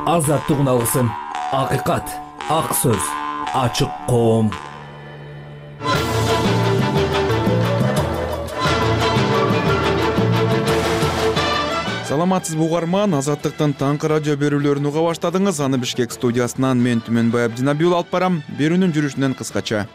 азаттыгын алгысың. Акыйкат, ак сөз, ачык коом. Саламатсыз угарман, Азаттыктын таңкы радио берүүлөрүн уга баштадыңыз. Аны Бишкек студиясынан мен Түмөнбай Абдинабиул алып барам. Берүүнүн жүрүшүнөн кыскача.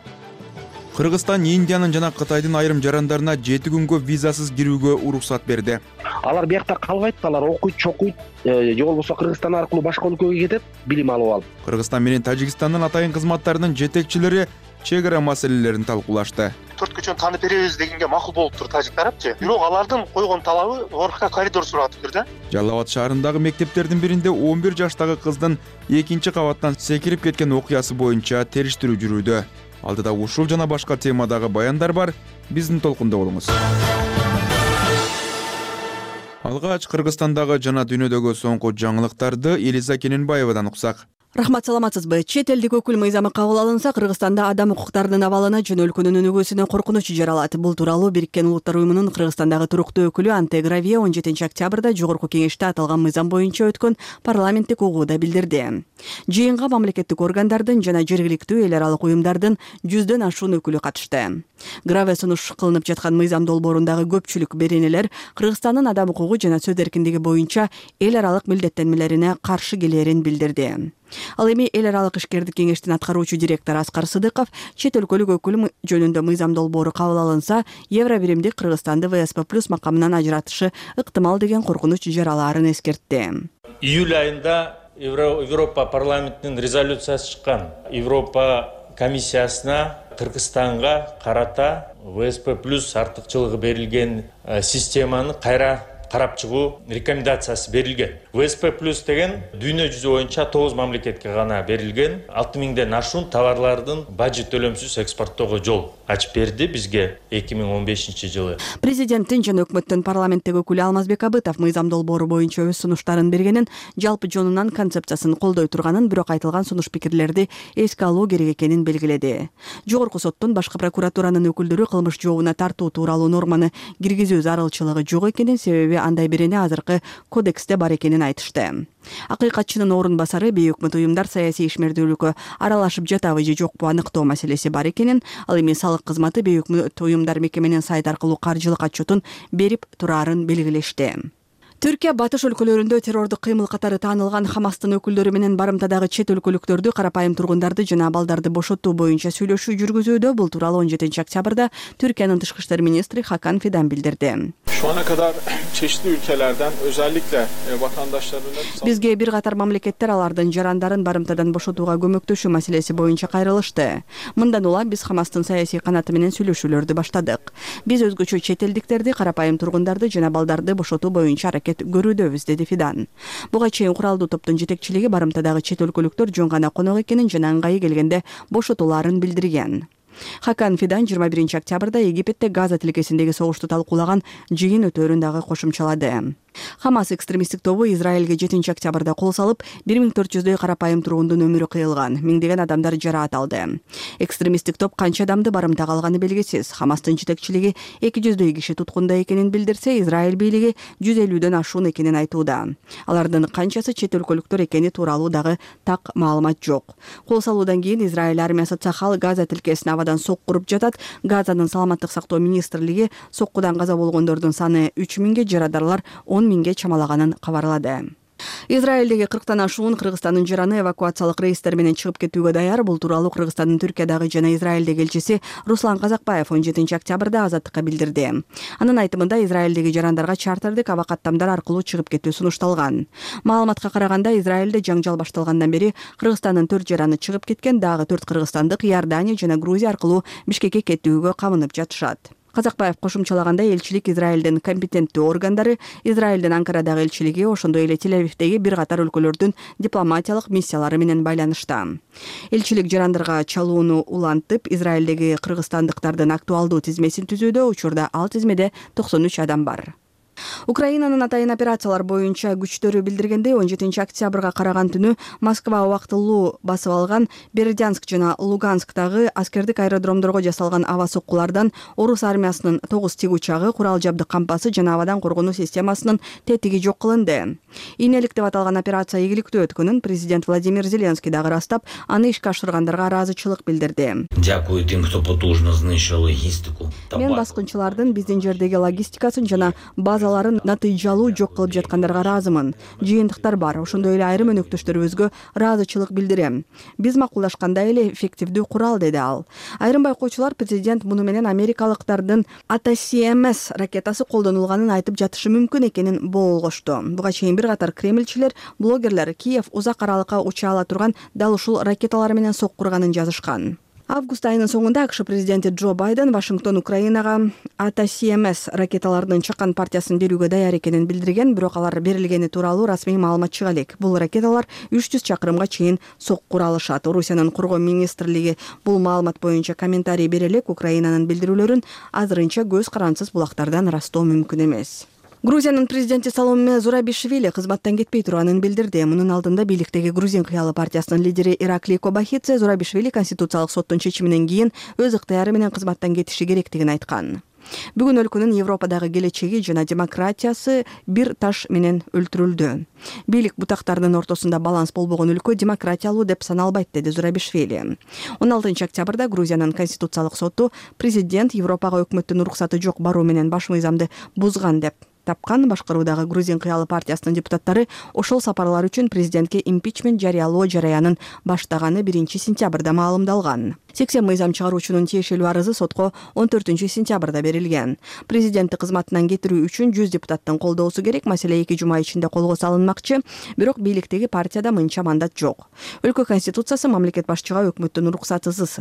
Кыргызстан Индиянын жана Кытайдын айрым жарандарына 7 күнгө визасыз кирүүгө уруксат берди. Алар биякта калбайт, алар окуйт, чокуйт, же болбосо Кыргызстан аркылуу башка өлкөгө кетет, билим алып алып. Кыргызстан менен Тажикстандын атайын кызматтарынын жетекчилери чек ара маселелерин талкуулашты. 4 күчөн таанып беребиз дегенге макул болуптур тажик тарапчы. Бирок алардын койгон талабы орка коридор сурап да. Жалал Абад шаарындагы мектептердин биринде 11 жаштагы кыздын 2-чи кабаттан секирип кеткен окуясы боюнча териштирүү жүрүүдө. Алдыда ушул жана башка темадагы баяндар бар. Биздин толкунда болуңуз. Алгач Кыргызстандагы жана дүйнөдөгү соңку жаңылыктарды Элиза Кененбаевадан уксак. Рахмат, саламатсызбы? Чет элдик өкүл мыйзамы кабыл алынса, Кыргызстанда адам укуктарынын абалына жөн өлкөнүн өнүгүүсүнө коркунуч жаралат. Бул тууралуу Бириккен Улуттар уюмунун Кыргызстандагы туруктуу өкүлү Анте Гравия 17-октябрда жогорку кеңеште аталган мыйзам боюнча өткөн парламенттик угууда билдирди. Жыйынга мамлекеттик органдардын жана жергиликтүү эл аралык уюмдардын 100дөн ашуун өкүлү катышты. Гравия сунуш кылынып жаткан мыйзам долбоорундагы көпчүлүк беренелер Кыргызстандын адам укугу жана сөз эркиндиги боюнча эл аралык милдеттенмелерине каршы келерин билдирди. Ал эми эл аралык ишкердик кеңештин аткаруучу директору Аскар Сыдыков чет өлкөлүк өкүл жөнүндө мыйзам долбоору кабыл алынса, Евробиримдик Кыргызстанды ВСП+ макамынан ажыратышы ыктымал деген коркунуч жаралаарын эскертти. Июль айында Европа парламентинин резолюциясы чыккан. Европа комиссиясына Кыргызстанга карата ВСП+ артыкчылыгы берилген системаны кайра карап чыгуу рекомендациясы берилген. ВСП+ деген дүйнө жүзү боюнча 9 мамлекетке гана берилген 6000ден ашуун товарлардын бажы төлөмсүз экспорттоого жол ачып берди бизге 2015-жылы. Президенттин жана өкмөттүн парламенттеги өкүлү Алмазбек Абытов мыйзам долбоору боюнча өз сунуштарын бергенин, жалпы жонунан концепциясын колдой турганын, бирок айтылган сунуш пикирлерди эске алуу керек экенин белгиледи. Жогорку соттун башкы прокуратуранын өкүлдөрү кылмыш жообуна тартуу тууралуу норманы киргизүү зарылчылыгы жок экенин, себеби андай берене азыркы кодексте бар экенин айтышты. Акыйкатчынын орун басары бейөкмөт уюмдар саясий ишмердүүлүккө аралашып жатабы же жокпу аныктоо маселеси бар экенин, ал эми салык кызматы бейөкмөт уюмдар мекеменин сайт аркылуу каржылык отчетун берип турарын белгилешти. Түркия батыш өлкөлөрүндө террордук кыймыл катары таанылган Хамастын өкүлдөрү менен барымтадагы чет өлкөлүктөрдү, карапайым тургундарды жана балдарды бошотуу боюнча сүйлөшүү жүргүзүүдө. Бул тууралуу 17-октябрда Türkiye'nin Dışişleri İşleri Ministri Hakan Fidan bildirdi. Şu ana kadar çeşitli ülkelerden özellikle vatandaşlarının Bizge bir катар мамлекеттер алардын жарандарын барымтадан бошотууга көмөктөшүү маселеси боюнча кайрылышты. Мындан улам биз Хамастын саясий канаты менен сүйлөшүүлөрдү баштадык. Биз өзгөчө чет элдиктерди, карапайым тургундарды жана балдарды бошотуу боюнча көрүүдөбүз, деди Фидан. Буга чейин куралдуу топтун жетекчилиги барымтадагы чет өлкөлүктөр жөн гана конок экенин жана ыңгайы келгенде бошотууларын билдирген. Хакан Фидан 21-октябрда Египетте Газа тилкесиндеги согушту талкуулаган жыйын өтөөрүн дагы кошумчалады. Хамас экстремисттик тобу Израилге 7-октябрда кол салып, 1400дөй карапайым тургундун өмүрү кыйылган, миңдеген адамдар жараат алды. Экстремисттик топ канча адамды барымтага алганы белгисиз. Хамастын жетекчилиги 200дөй киши туткунда экенин билдирсе, Израиль бийлиги 150дөн ашуун экенин айтууда. Алардын канчасы чет өлкөлүктөр экени тууралуу дагы так маалымат жок. Кол салуудан кийин Израиль армиясы Цахал Газа тилкесине абадан сокку уруп жатат. Газанын саламаттык сактоо министрлиги соккудан каза болгондордун саны 3000ге, жарадарлар 10.000ге чамалаганын кабарлады. Израилдеги 40тан ашуун Кыргызстандын жараны эвакуациялык рейстер менен чыгып кетүүгө даяр. Бул тууралуу Кыргызстандын Түркиядагы жана Израилдеги элчиси Руслан Казакбаев 17-октябрда Азаттыкка билдирди. Анын айтымында Израилдеги жарандарга чартердик аба каттамдар аркылуу чыгып кетүү сунушталган. Маалыматка караганда, Израилде жаңжал башталгандан бери Кыргызстандын 4 жараны чыгып кеткен, дагы 4 кыргызстандык Иордания жана Грузия аркылуу Бишкекке кетүүгө камынып жатышат. Казакбаев кошумчалагандай, элчилик Израилдин компетенттүү органдары, Израилдин Анкарадагы элчилиги, ошондой эле Тель-Авивдеги бир катар өлкөлөрдүн дипломатиялык миссиялары менен байланышта. Элчилик жарандарга чалууну улантып, Израилдеги кыргызстандыктардын актуалдуу тизмесин түзүүдө, учурда ал тизмеде 93 адам бар. Украинанын атайын операциялар боюнча күчтөрү билдиргендей 17 октябрга караган түнү Москва убактылуу басып алган Бердянск жана Лугансктагы аскердик аэродромдорго жасалган аба соккулардан орус армиясынын 9 тик учагы, курал жабдык кампасы жана абадан коргонуу системасынын тетиги жок кылынды. Ийнелик деп аталган операция ийгиликтүү өткөнүн президент Владимир Зеленский дагы ырастап, аны ишке ашыргандарга ыраазычылык билдирди. Дякую тем, кто потужно знищил логистику. Мен баскынчылардын биздин жердеги логистикасын жана базаларын натыйжалуу жок кылып жаткандарга ыраазымын. Жыйынтыктар бар. Ошондой эле айрым өнөктөштөрүбүзгө ыраазычылык билдирем. Биз макулдашкандай эле эффективдүү курал, деди ал. Айрым байкоочулар президент муну менен америкалыктардын ATACMS ракетасы колдонулганын айтып жатышы мүмкүн экенин боолгошту. Буга чейин бир катар кремльчилер, блогерлер Киев узак аралыкка уча ала турган дал ушул ракеталар менен соккурганын жазышкан. Август айынын соңунда АКШ президенти Джо Байден Вашингтон Украинага ATACMS ракеталарынын чакан партиясын берүүгө даяр экенин билдирген, бирок алар берилгени тууралуу расмий маалымат чыга элек. Бул ракеталар 300 чакырымга чейин соккура алышат. Орусиянын коргоо министрлиги бул маалымат боюнча комментарий бере элек, Украинанын билдирүүлөрүн азырынча көз карансыз булактардан ырастоо мүмкүн эмес. Грузиянын президенти Саломе Зурабишвили кызматтан кетпей турганын билдирди. Мунун алдында бийликтеги Грузин кыялы партиясынын лидери Ираклий Кобахидзе Зурабишвили Конституциялык соттун чечиминен кийин өз ыктыяры менен кызматтан кетиши керектигин айткан. Бүгүн өлкөнүн Европадагы келечеги жана демократиясы бир таш менен өлтүрүлдү. Бийлик бутактарынын ортосунда баланс болбогон өлкө демократиялуу деп саналбайт, деди Зурабишвили. 16 октябрда Грузиянын Конституциялык соту президент Европага өкмөттүн уруксаты жок баруу менен баш мыйзамды бузган деп тапкан. Башкаруудагы Грузин кыялы партиясынын депутаттары ошол сапарлар үчүн президентке импичмент жарыялоо жараянын баштаганы 1 сентябрда маалымдалган. 80 мыйзам чыгаруучунун тиешелүү арызы сотко 14 сентябрда берилген. Президентти кызматынан кетирүү үчүн 100 депутаттын колдоосу керек. Маселе 2 жума ичинде колго салынмакчы, бирок бийликтеги партияда мынча мандат жок. Өлкө конституциясы мамлекет башчыга өкмөттүн уруксатысыз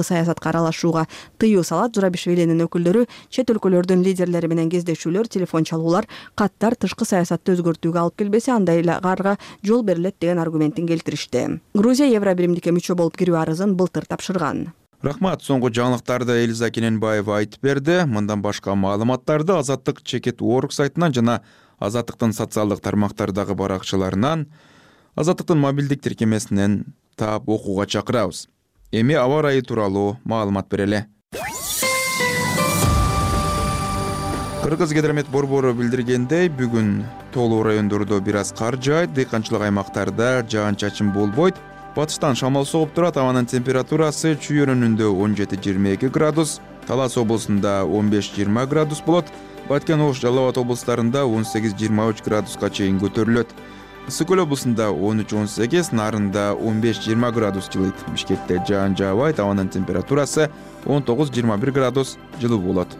саясатка аралашууга тыюу салат. Зурабишвилинин өкүлдөрү чет өлкөлөрдүн лидерлери менен кездешүүлөр, телефон чалуулар, каттар тышкы саясатты өзгөртүүгө алып келбесе, андайларга жол берилет деген аргументин келтиришти. Грузия Евро биримдикке мүчө болуп кирүү арызын былтыр тапшырган. Рахмат. Соңку жаңылыктарды Элиза Кененбаева айтып берди. Мындан башка маалыматтарды Азаттык Чекет.org сайтынан жана Азаттыктын социалдык тармактардагы баракчаларынан, Азаттыктын мобилдик тиркемесинен таап окууга чакырабыз. Эми аба ырайы тууралуу маалымат берели. Кыргыз-Гидромет борбору билдиргендей, бүгүн тоолуу райондордо бир аз кар жаайт, дыйканчылык аймактарда жаан-чачын болбойт. Батыштан шамал согуп турат, абанын температурасы Чүй өрөөнүндө 17-22 градус, Талас облусунда 15-20 градус болот, Баткен, Ош, Жалал Абад облустарында 18-23 градуска чейин көтөрүлөт. Ысык Көл облусунда 13-18, Нарында 15-20 градус жылыйт. Бишкекте жаан жаабайт, абанын температурасы 19-21 градус жылуу болот.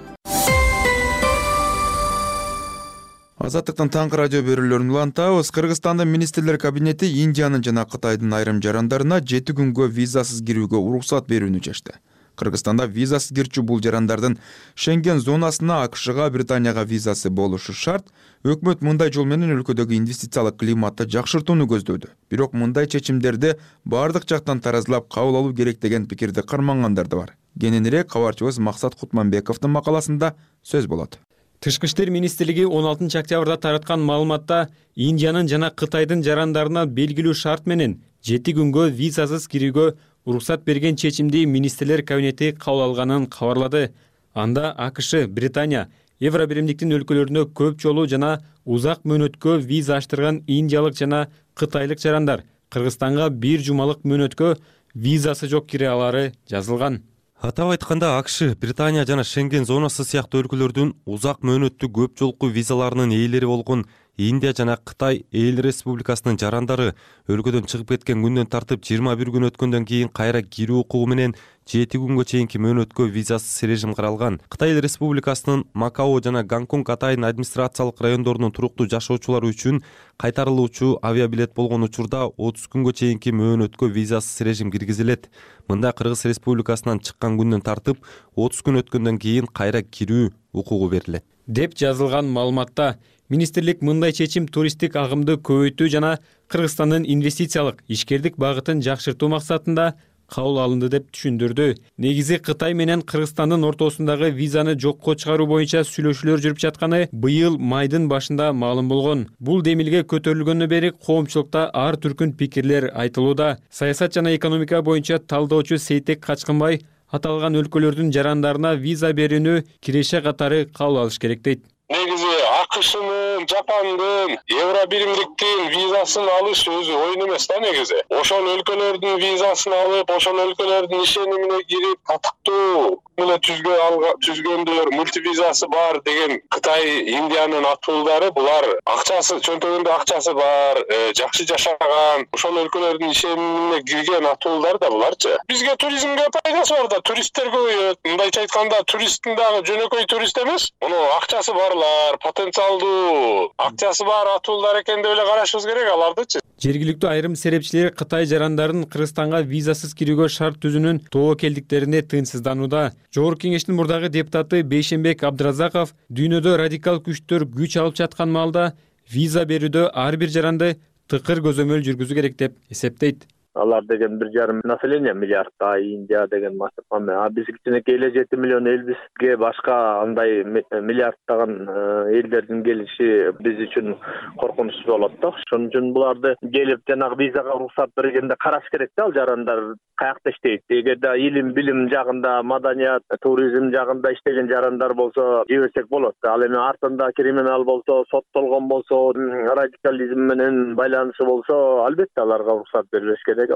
Азаттыктын таңкы радио берүүлөрүн улантабыз. Кыргызстандын министрлер кабинети Индиянын жана Кытайдын айрым жарандарына 7 күнгө визасыз кирүүгө уруксат берүүнү чечти. Кыргызстанда визасыз кирчү бул жарандардын Шенген зонасына, АКШга, Британияга визасы болушу шарт. Өкмөт мындай жол менен өлкөдөгү инвестициялык климатты жакшыртууну көздөдү. Бирок мындай чечимдерди бардык жактан таразылап кабыл алуу керек деген пикирди кармангандар да бар. Кененирээк кабарчыбыз Максат Кутманбековдун макаласында сөз болот. Тышкы иштер министрлиги 16 октябрда тараткан маалыматта Индиянын жана Кытайдын жарандарына белгилүү шарт менен 7 күнгө визасыз кирүүгө уруксат берген чечимди министрлер кабинети кабыл алганын кабарлады. Анда АКШ, Британия, Евро биримдиктин өлкөлөрүнө көп жолу жана узак мөөнөткө виза аштырган индиялык жана кытайлык жарандар Кыргызстанга 1 жумалык мөөнөткө визасы жок кире алары жазылган. Атап айтканда, АКШ, Британия жана Шенген зонасы сыяктуу өлкөлөрдүн узак мөөнөттүү көп жолку визаларынын ээлери болгон Индия жана Кытай Эл Республикасынын жарандары өлкөдөн чыгып кеткен күндөн тартып 21 күн өткөндөн кийин кайра кирүү укугу менен 7 күнгө чейинки мөөнөткө визасыз режим каралган. Кытай Эл Республикасынын Макао жана Гонконг атайын администрациялык райондорунун туруктуу жашоочулары үчүн кайтарылуучу авиабилет болгон учурда 30 күнгө чейинки мөөнөткө визасыз режим киргизилет. Мында Кыргыз Республикасынан чыккан күндөн тартып 30 күн өткөндөн кийин кайра кирүү укугу берилет деп жазылган маалыматта. Министрлик мындай чечим туристтик агымды көбөйтүү жана Кыргызстандын инвестициялык ишкердик багытын жакшыртуу максатында кабыл алынды деп түшүндүрдү. Негизи Кытай менен Кыргызстандын ортосундагы визаны жокко чыгаруу боюнча сүйлөшүүлөр жүрүп жатканы быйыл майдын башында маалым болгон. Бул демилге көтөрүлгөндөн бери коомчулукта ар түркүн пикирлер айтылууда. Саясат жана экономика боюнча талдоочу Сейтек Качкынбай аталган өлкөлөрдүн жарандарына виза берүүнү киреше катары кабыл алыш керек дейт. Негизи АКШнын, Жапандын, Евро биримдиктин визасын алыш өзү оюн эмес да негизи. Ошол өлкөлөрдүн визасын алып, ошол өлкөлөрдүн ишенимине кирип, татыктуу менен түзгөндөр, мультивизасы бар деген Кытай, Индиянын атуулдары булар акчасы, чөнтөгүндө акчасы бар, жакшы жашаган, ошол өлкөлөрдүн ишенимине кирген атуулдар да буларчы. Бизге туризмге пайдасы бар да, туристтер көбөйөт. Мындайча айтканда, туристтин дагы жөнөкөй турист эмес, муну акчасы барлар, потенциалдуу, акчасы бар атуулдар экен деп эле карашыбыз керек алардычы. Жергиликтүү айрым серепчилер Кытай жарандарын Кыргызстанга визасыз кирүүгө шарт түзүүнүн тобокелдиктерине тыйынсызданууда. Жогорку кеңештин мурдагы депутаты Бейшенбек Абдыразаков дүйнөдө радикал күчтөр күч алып жаткан маалда виза берүүдө ар бир жаранды тыкыр көзөмөл жүргүзүү керек деп эсептейт. Алар деген 1,5 население миллиардта, Индия деген масштаб. Биз кичинекей эле 7 миллион элбизге башка андай миллиардтаган элдердин келиши биз үчүн коркунучтуу болот да. Ошон үчүн буларды келип жанагы визага уруксат бергенде караш керек да, ал жарандар каякта иштейт. Эгерде илим, билим жагында, маданият, туризм жагында иштеген жарандар болсо жиберсек болот. Ал эми артында криминал болсо, соттолгон болсо, радикализм менен байланышы болсо, албетте аларга уруксат берилиш керек.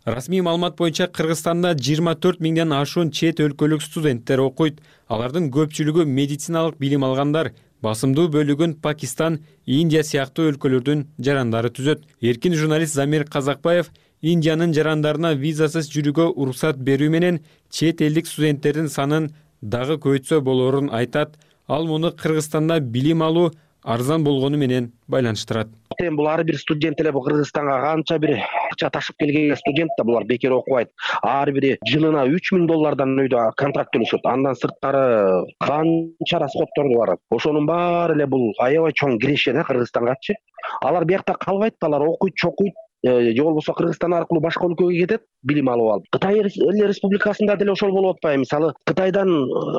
Расмий маалымат боюнча Кыргызстанда 24 миңден ашуун чет өлкөлүк студенттер окуйт. Алардын көпчүлүгү медициналык билим алгандар. Басымдуу бөлүгүн Пакистан, Индия сыяктуу өлкөлөрдүн жарандары түзөт. Эркин журналист Замир Казакбаев Индиянын жарандарына визасыз жүрүүгө уруксат берүү менен чет элдик студенттердин санын дагы көбөйтсө болоорун айтат. Ал муну Кыргызстанда билим алуу арзан болгону менен байланыштырат. Бул ар бир студент эле бул Кыргызстанга канча бир акча ташып келген студент да булар бекер окубайт. Ар бири жылына $3,000 өйдө контракт төлөшөт. Андан сырткары канча расходторду бар. Ошонун баары эле бул аябай чоң киреше да Кыргызстангачы. Алар биякта калбайт, алар окуйт, чокуйт. Же болбосо Кыргызстан аркылуу башка өлкөгө кетет, билим алып алып. Кытай республикасында деле ошол болуп атпайбы? Мисалы, Кытайдан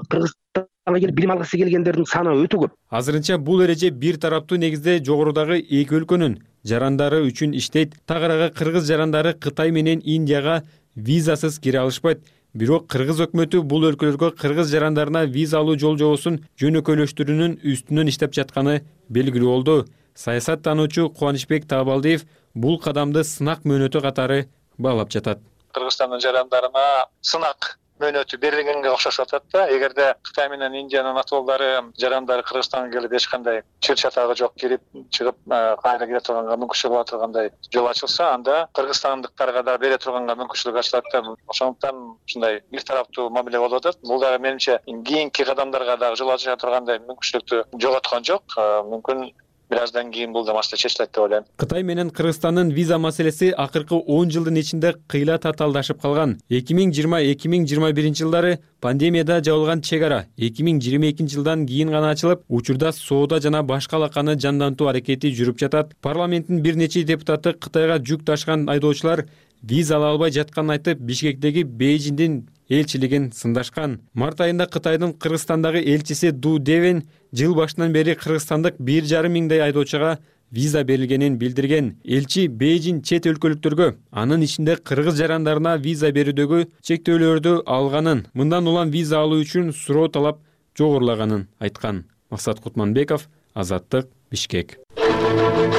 Кыргызстанга келип билим алгысы келгендердин саны өтө көп. Азырынча бул эреже бир тараптуу негизде жогорудагы эки өлкөнүн жарандары үчүн иштейт. Тагыраагы кыргыз жарандары Кытай менен Индияга визасыз кире алышпайт. Бирок кыргыз өкмөтү бул өлкөлөргө кыргыз жарандарына виза алуу жол-жобосун жөнөкөйлөштүрүүнүн үстүнөн иштеп жатканы белгилүү болду. Саясаттануучу Кубанычбек Таабалдиев бул кадамды сынак мөөнөтү катары баалап жатат. Кыргызстандын жарандарына сынак мөөнөтү берилгенге окшошуп атат да. Эгерде Кытай менен Индиянын атуулдары жарандары Кыргызстанга келип эч кандай чыр чатагы жок кирип чыгып кайра кире турганга мүмкүнчүлүк боло тургандай жол ачылса, анда кыргызстандыктарга да бере турганга мүмкүнчүлүк ачылат да. Ошондуктан ушундай бир тараптуу мамиле болуп атат. Бул дагы менимче кийинки кадамдарга дагы жол ача тургандай мүмкүнчүлүктү жоготкон жок. Мүмкүн бираздан кийин бул да маселе чечилет деп ойлойм. Кытай менен Кыргызстандын виза маселеси акыркы 10 жылдын ичинде кыйла татаалдашып калган. 2020-2021 жылдары пандемияда жабылган чек ара 2022 жылдан кийин гана ачылып, учурда соода жана башка алаканы жандантуу аракети жүрүп жатат. Парламенттин бир нече депутаты Кытайга жүк ташкан айдоочулар виза ала албай жатканын айтып, Бишкектеги Бейжиңдин элчилигин сындашкан. Март айында Кытайдын Кыргызстандагы элчиси Ду Девен жыл башынан бери кыргызстандык 1,5 миңдей айдоочуга виза берилгенин билдирген. Элчи Бейжиң чет өлкөлүктөргө, анын ичинде кыргыз жарандарына виза берүүдөгү чектөөлөрдү алганын, мындан улам виза алуу үчүн суроо талап жогорулаганын айткан. Максат Кутманбеков, Азаттык, Бишкек.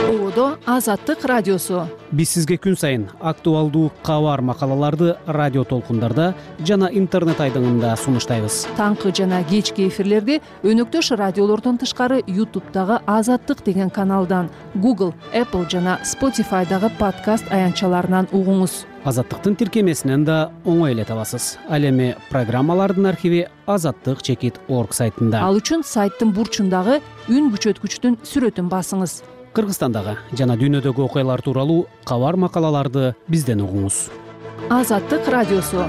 Ободо Азаттык радиосу. Биз сизге күн сайын актуалдуу кабар макалаларды радио толкундарда жана интернет айдыңында сунуштайбыз. Таңкы жана кечки эфирлерди өнөктөш радиолордон тышкары YouTube'дагы Азаттык деген каналдан, Google, Apple жана Spotify'дагы подкаст аянтчаларынан угуңуз. Азаттыктын тиркемесинен да оңой эле табасыз. Ал эми программалардын архиви azattik.org сайтында. Ал үчүн сайттын бурчундагы үн күчөткүчтүн сүрөтүн басыңыз. Кыргызстандагы жана дүйнөдөгү окуялар тууралуу кабар макалаларды бизден угуңуз. Азаттык радиосу.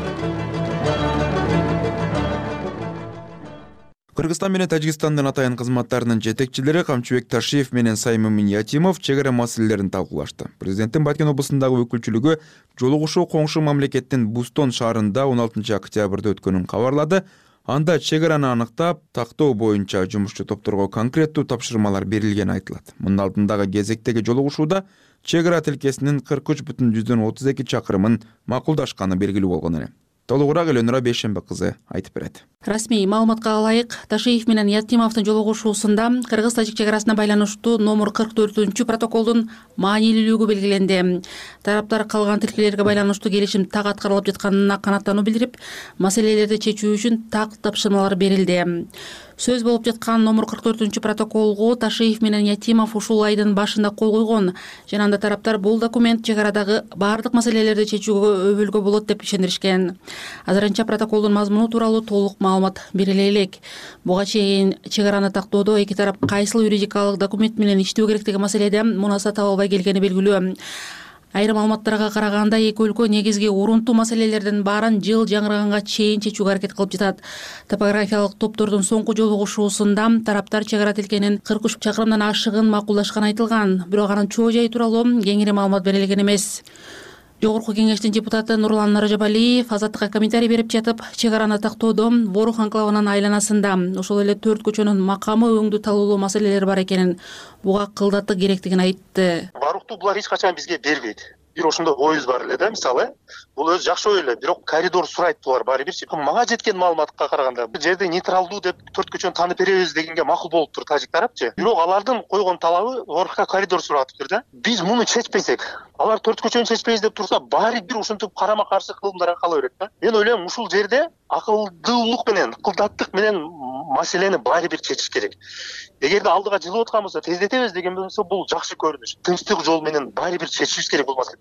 Кыргызстан менен Тажикстандын атайын кызматтарынын жетекчилери Камчыбек Ташиев менен Саймымин Ятимов чек ара маселелерин талкуулашты. Президенттин Баткен облусундагы өкүлчүлүгү жолугушуу коңшу мамлекеттин Бустон шаарында 16 октябрда өткөнүн кабарлады. Анда чек араны аныктап, тактоо боюнча жумушчу топторго конкреттүү тапшырмалар берилгени айтылат. Мунун алдындагы кезектеги жолугушууда чек ара тилкесинин 43,32 чакырымын макулдашканы белгилүү болгон эле. Толугураак Эленура Бейшембе кызы айтып берет. Расмий маалыматка ылайык, Ташиев менен Ятимовдун жолугушуусунда кыргыз-тажик чек арасына байланыштуу номер 44 протоколдун маанилүүлүгү белгиленди. Тараптар калган тилкелерге байланыштуу келишим так аткарылып жатканына канааттануу билдирип, маселелерди чечүү үчүн так тапшырмалар берилди. Сөз болуп жаткан номер 44 протоколго Ташиев менен Ятимов ушул айдын башында кол койгон. Жана анда тараптар бул документ чек арадагы баардык маселелерди чечүүгө өбөлгө болот деп ишенишкен. Азырынча протоколдун мазмуну тууралуу толук маалымат бериле элек. Буга чейин чек араны тактоодо эки тарап кайсыл юридикалык документ менен иштөө керек деген маселеде мунаса таба албай келгени белгилүү. Айрым маалыматтарга караганда эки өлкө негизги урунтуу маселелердин баарын жыл жаңырганга чейин чечүүгө аракет кылып жатат. Топографиялык топтордун соңку жолугушуусунда тараптар чек ара тилкенин 43 чакырымдан ашыгын макулдашканы айтылган. Бирок анын чоо жайы тууралуу кеңири маалымат берилген эмес. Жогорку кеңештин депутаты Нурлан Наржабалиев Азаттыкка комментарий берип жатып, чек араны тактоодо Ворух анклавынын айланасында ошол эле 4 көчөнүн макамы өңдүү талуулуу маселелер бар экенин, буга кылдаттык керектигин айтты. Барукту булар эч качан бизге бербейт. Бир ошондой оюбуз бар эле да, мисалы. Бул өзү жакшы ой эле, бирок коридор сурайт булар баары бирчи. Мага жеткен маалыматка караганда, бул жерде нейтралдуу деп 4 көчөнү таанып беребиз дегенге макул болуптур тажик тарапчы. Бирок алардын койгон талабы Орукка коридор суратыптыр да. Биз муну чечпесек, алар 4 көчөнү чечпейбиз деп турса, баары бир ушинтип карама каршы кылымдар кала берет да. Мен ойлойм, ушул жерде акылдуулук менен, ыкылдаттык менен маселени баары бир чечиш керек. Эгерде алдыга жылып аткан болсо, тездетебиз деген болсо, бул жакшы көрүнүш. Тынчтык жол менен баары бир чечишибиз керек болмас.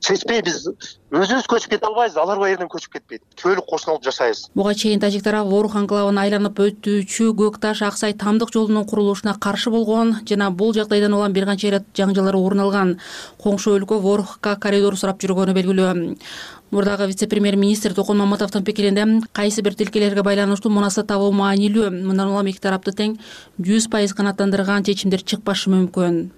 Чечпей биз өзүбүз көчүп кете албайбыз, алар бул жерден көчүп кетпейт. Түбөлүк кошуналып жашайбыз. Буга чейин тажик тарап Ворух анклавын айланып өтүүчү Көк Таш Аксай тамдык жолунун курулушуна каршы болгон жана бул жагдайдан улам бир канча ирет жаңжалар орун алган. Коңшу өлкө Ворухка коридор сурап жүргөнү белгилүү. Мурдагы вице-премьер-министр Токон Маматовдун пикиринде кайсы бир тилкелерге байланыштуу мунаса табуу маанилүү. Мындан улам эки тарапты тең 100% канааттандырган чечимдер чыкпашы мүмкүн.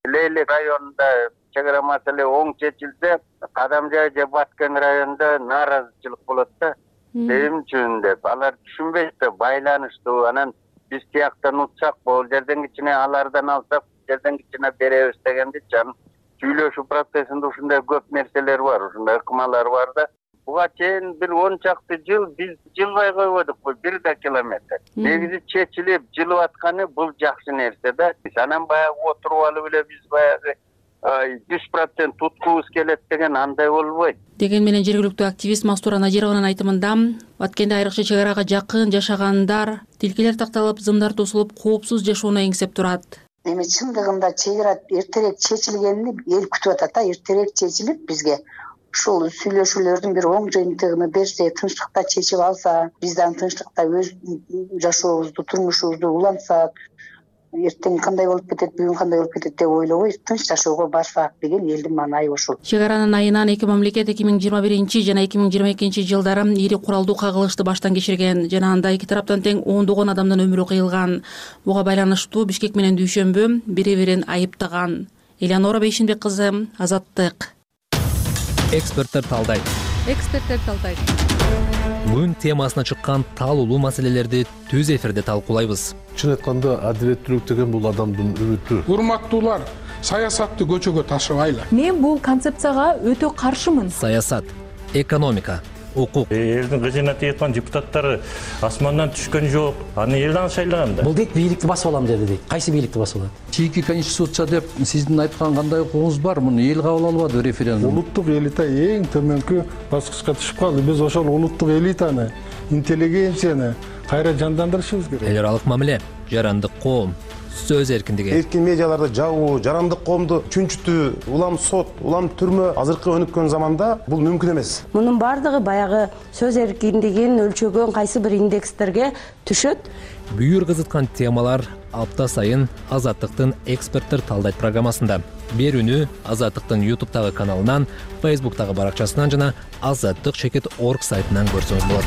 Лейли районунда чек ара маселе оң чечилсе, Кадамжай же Баткен районунда нааразычылык болот да. Эмне үчүн деп алар түшүнбөйт да, байланыштуу. Анан биз тияктан утсак, бул жерден кичине алардан алсак, жерден кичине беребиз дегенди жан сүйлөшүү процессинде ушундай көп нерселер бар, ушундай ыкмалар бар да. Буга чейин бир 10 чакты жыл биз жылбай койбодук, бул 1 километр. Негизи чечилип жылып атканы бул жакшы нерсе да. Анан баягы отуруп алып эле биз баягы 100% туткубуз келет деген андай болбойт. Деген менен жергиликтүү активист Мастура Надированын айтымында, Баткенде айрыкча чек арага жакын жашагандар тилкелер такталып, зымдар тосулуп, коопсуз жашоону эңсеп турат. Эми чындыгында чек ара эртерээк чечилгенин эл күтүп атат да, эртерээк чечилип бизге ушул сүйлөшүүлөрдүн бир оң жыйынтыгын берсе, тынчтыкта чечип алса, биз дагы тынчтыкта өз жашообузду, турмушубузду улантсак, эртең кандай болуп кетет, бүгүн кандай болуп кетет деп ойлобой тынч жашоого барсак деген элдин маанайы ошол. Чек аранын айынан эки мамлекет 2021 жана 2022 жылдары ири куралдуу кагылышты баштан кечирген жана анда эки тараптан тең ондогон адамдын өмүрү кыйылган. Буга байланыштуу Бишкек менен Дүйшөмбү бири-бирин айыптаган. Элеонора Бейшембек кызы, Азаттык. Эксперттер талдайт. Бүгүн темасына чыккан талуулуу маселелерди түз эфирде талкуулайбыз. Чын айтканда адилеттүүлүк деген бул адамдын үмүтү. Урматтуулар, саясатты көчөгө ташыбайлы. Мен бул концепцияга өтө каршымын. Саясат, экономика, укук. Элдин кыжына тийаткан депутаттары асмандан түшкөн жок. Аны элден шайлаган да. Бул дейт бийликти басып алам деди дейт. Кайсы бийликти басып алат? Чийки конституция деп сиздин айткан кандай укугуңуз бар? Муну эл кабыл албады референдум. Улуттук элита эң төмөнкү баскычка түшүп калды. Биз ошол улуттук элитаны, интеллигенцияны кайра жандандырышыбыз керек. Эл аралык мамиле, жарандык коом, сөз эркиндиги. Эркин медиаларды жабуу, жарандык коомду чүнчүтүү, улам сот, улам түрмө азыркы өнүккөн заманда бул мүмкүн эмес. Мунун бардыгы баягы сөз эркиндигин өлчөгөн кайсы бир индекстерге түшөт. Бүйүр кызыткан темалар апта сайын Азаттыктын эксперттер талдайт программасында. Берүүнү Азаттыктын YouTube'тагы каналынан, Facebook'тагы баракчасынан жана azаттык.org сайтынан көрсөңүз болот.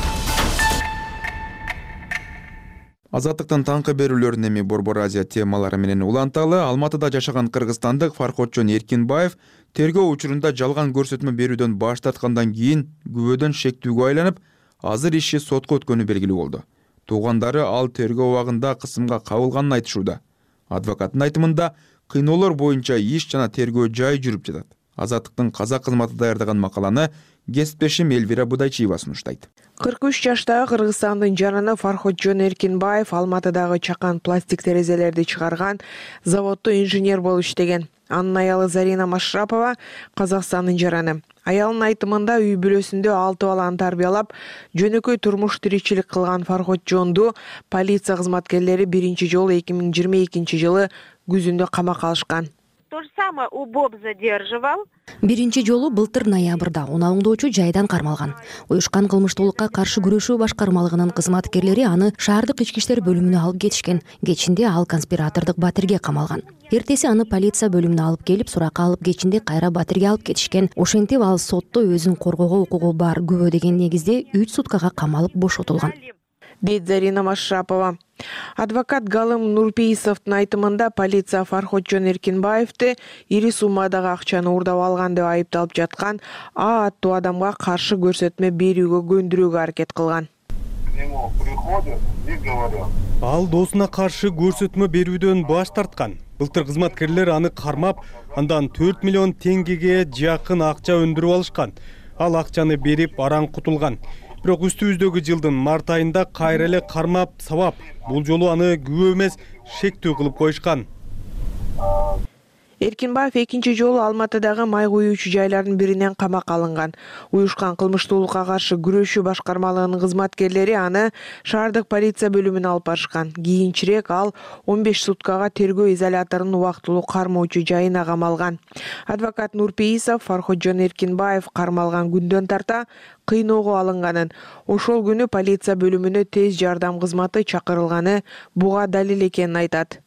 Азаттыктын таңкы берүүлөрүн эми Борбор Азия темалары менен уланталы. Алматыда жашаган кыргызстандык Фарходжон Эркинбаев тергөө учурунда жалган көрсөтмө берүүдөн баш тарткандан кийин күбөдөн шектүүгө айланып, азыр иши сотко өткөнү белгилүү болду. Туугандары ал тергөө убагында кысымга кабылганын айтышууда. Адвокаттын айтымында кыйноолор боюнча иш жана тергөө жай жүрүп жатат. Азаттыктын казак кызматы даярдаган макаланы кесиптешим Элвира Будайчиева сунуштайт. 43 жаштагы Кыргызстандын жараны Фарходжон Эркинбаев Алматыдагы чакан пластик терезелерди чыгарган заводдо инженер болуп иштеген. Анын аялы Зарина Машрапова Казакстандын жараны. Аялынын айтымында үй бүлөсүндө 6 баланы тарбиялап, жөнөкөй турмуш тиричилик кылган Фарходжонду полиция кызматкерлери биринчи жолу 2022 жылы күзүндө камакка алышкан. То же самое УБОП задерживал. Биринчи жолу былтыр ноябрда унааңдоочу жайдан кармалган. Уюшкан кылмыштуулукка каршы күрөшүү башкармалыгынын кызматкерлери аны шаардык ички иштер бөлүмүнө алып кетишкен. Кечинде ал конспиратордук Батирге камалган. Эртеси аны полиция бөлүмүнө алып келип, суракка алып кечинде кайра Батирге алып кетишкен. Ошентип ал сотто өзүн коргоого укугу бар күбө деген негизде 3 суткага камалып бошотулган, дейт Зарина Машрапова. Адвокат Галым Нурпейисовдун айтымында полиция Фарходжон Эркинбаевди ири суммадагы акчаны уурдап алган деп айыпталып жаткан А аттуу адамга каршы көрсөтмө берүүгө көндүрүүгө аракет кылган. Ал досуна каршы көрсөтмө берүүдөн баш тарткан. Былтыр кызматкерлер аны кармап, андан 4 миллион теңгеге жакын акча өндүрүп алышкан. Ал акчаны берип араң кутулган. Бирок үстүбүздөгү жылдын март айында кайра эле кармап сабап, бул жолу аны күбө эмес шектүү кылып коюшкан. Эркинбаев экинчи жолу Алматыдагы май куюучу жайлардын биринен камакка алынган. Уюшкан кылмыштуулукка каршы күрөшүү башкармалыгынын кызматкерлери аны шаардык полиция бөлүмүнө алып барышкан. Кийинчерээк ал 15 суткага тергөө изоляторунун убактылуу кармоочу жайына камалган. Адвокат Нурпейисов Фарходжон Эркинбаев кармалган күндөн тарта кыйноого алынганын, ошол күнү полиция бөлүмүнө тез жардам кызматы чакырылганы буга далил экенин айтат.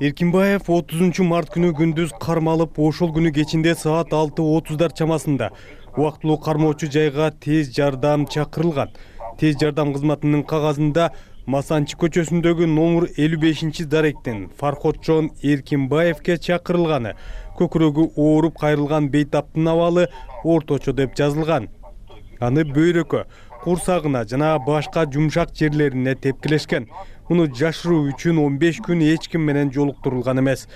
Эркинбаев 30 март күнү күндүз кармалып, ошол күнү кечинде саат 6:30 чамасында убактылуу кармоочу жайга тез жардам чакырылган. Тез жардам кызматынын кагазында Масанчы көчөсүндөгү номер 55 даректен Фарходжон Эркинбаевке чакырылганы, көкүрөгү ооруп кайрылган бейтаптын абалы орточо деп жазылган. Аны бөйрөккө, курсагына жана башка жумшак жерлерине тепкилешкен. Муну жашыруу үчүн 15 күн эч ким менен жолуктурулган эмес.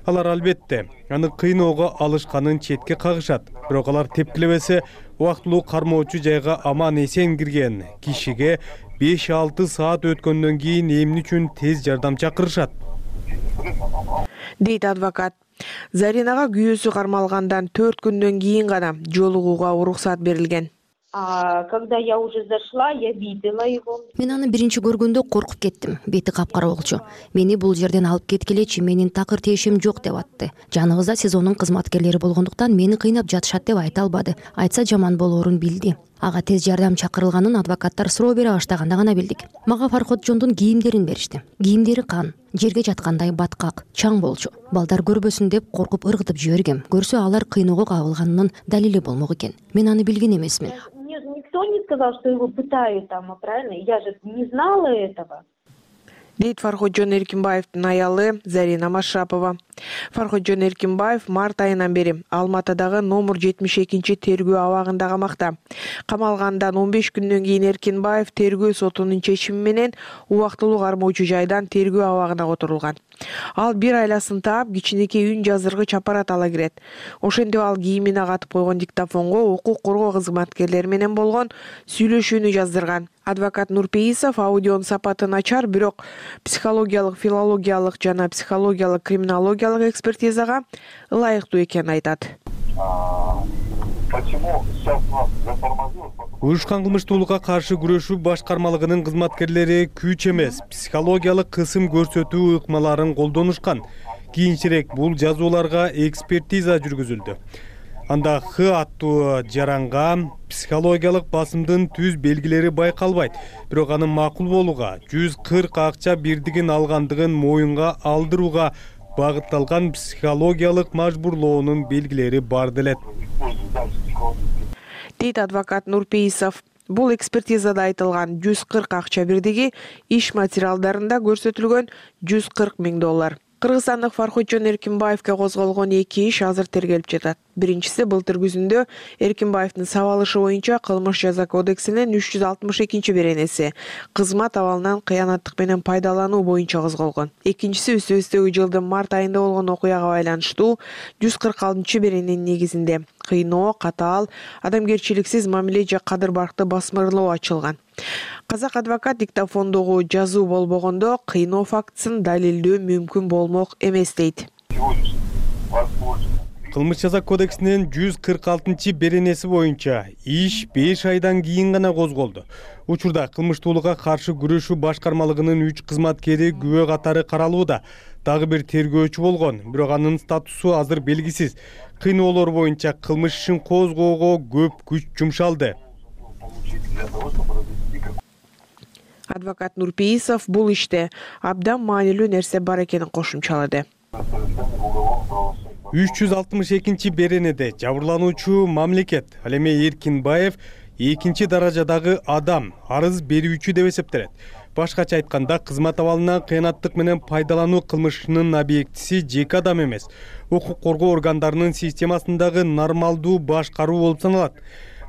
Алар албетте аны кыйноого алышканын четке кагышат. Бирок алар тепкилебесе, убактылуу кармоочу жайга аман эсен кирген кишиге 5-6 саат өткөндөн кийин эмне үчүн тез жардам чакырышат, дейт адвокат. Заринага күйөөсү кармалгандан 4 күндөн кийин гана жолугууга уруксат берилген. Когда я уже зашла, я видела его. Мен аны биринчи көргөндө коркуп кеттим. Бети капкара болчу. Мени бул жерден алып кеткилечи, менин такыр тиешим жок деп атты. Жаныбызда СИЗОнун кызматкерлери болгондуктан мени кыйнап жатышат деп айта албады. Айтса жаман болоорун билди. Ага тез жардам чакырылганын адвокаттар суроо бере баштаганда гана билдик. Мага Фарходжондун кийимдерин беришти. Кийимдери кан, жерге жаткандай баткак, чаң болчу. Балдар көрбөсүн деп коркуп ыргытып жибергем. Көрсө алар кыйноого кабылганынын далили болмок экен. Мен аны билген эмесмин. Никто не сказал, что его пытают там, правильно? Я же не знала этого. Дейт Фарходжон Эркинбаевдин аялы Зарина Машрапова. Фарходжон Эркинбаев март айынан бери Алматыдагы номер 72 тергөө абагында камакта. Камалгандан 15 күндөн кийин Эркинбаев тергөө сотунун чечими менен убактылуу кармоочу жайдан тергөө абагына которулган. Ал 1 айласын таап, кичинекей үн жазыргыч аппарат ала кирет. Ошентип ал кийимине катып койгон диктофонго укук коргоо кызматкерлери менен болгон сүйлөшүүнү жаздырган. Адвокат Нурпейисов аудионун сапаты начар, бирок психологиялык, филологиялык жана психологиялык криминологиялык экспертизага ылайыктуу экенин айтат. Уюшкан кылмыштуулукка каршы күрөшүү башкармалыгынын кызматкерлери күч эмес, психологиялык кысым көрсөтүү ыкмаларын колдонушкан. Кийинчерээк бул жазууларга экспертиза жүргүзүлдү. Анда Х аттуу жаранга психологиялык басымдын түз белгилери байкалбайт, бирок анын макул болууга 140 акча бирдигин алгандыгын моюнга алдырууга багытталган психологиялык мажбурлоонун белгилери бар делет, дейт адвокат Нурпейисов. Бул экспертизада айтылган 140 акча бирдиги иш материалдарында көрсөтүлгөн $140,000. Кыргызстандык Фарходжон Эркинбаевге козголгон 2 иш азыр тергелип жатат. Биринчиси былтыр күзүндө Эркинбаевдин сабалышы боюнча Кылмыш жаза кодексинин 362-беренеси кызмат абалынан кыянаттык менен пайдалануу боюнча козголгон. Экинчиси үстүбүздөгү жылдын март айында болгон окуяга байланыштуу 146-берененин негизинде кыйноо, катаал, адамгерчиликсиз мамиле же кадыр баркты басмырлоо ачылган. Казак адвокат диктофондогу жазуу болбогондо кыйноо фактысын далилдөө мүмкүн болмок эмес дейт. Кылмыш жаза кодексинин 146-беренеси боюнча иш 5 айдан кийин гана козголду. Учурда кылмыштуулукка каршы күрөшүү башкармалыгынын 3 кызматкери күбө катары каралууда. Дагы бир тергөөчү болгон, бирок анын статусу азыр белгисиз. Кыйноолор боюнча кылмыш ишин козгоого көп күч жумшалды. Адвокат Нурпейисов бул иште абдан маанилүү нерсе бар экенин кошумчалады. 362-беренеде жабырлануучу мамлекет, ал эми Эркинбаев экинчи даражадагы адам, арыз берүүчү деп эсептелет. Башкача айтканда, кызмат абалынан кыянаттык менен пайдалануу кылмышынын объектиси жеке адам эмес, укук коргоо органдарынын системасындагы нормалдуу башкаруу болуп саналат.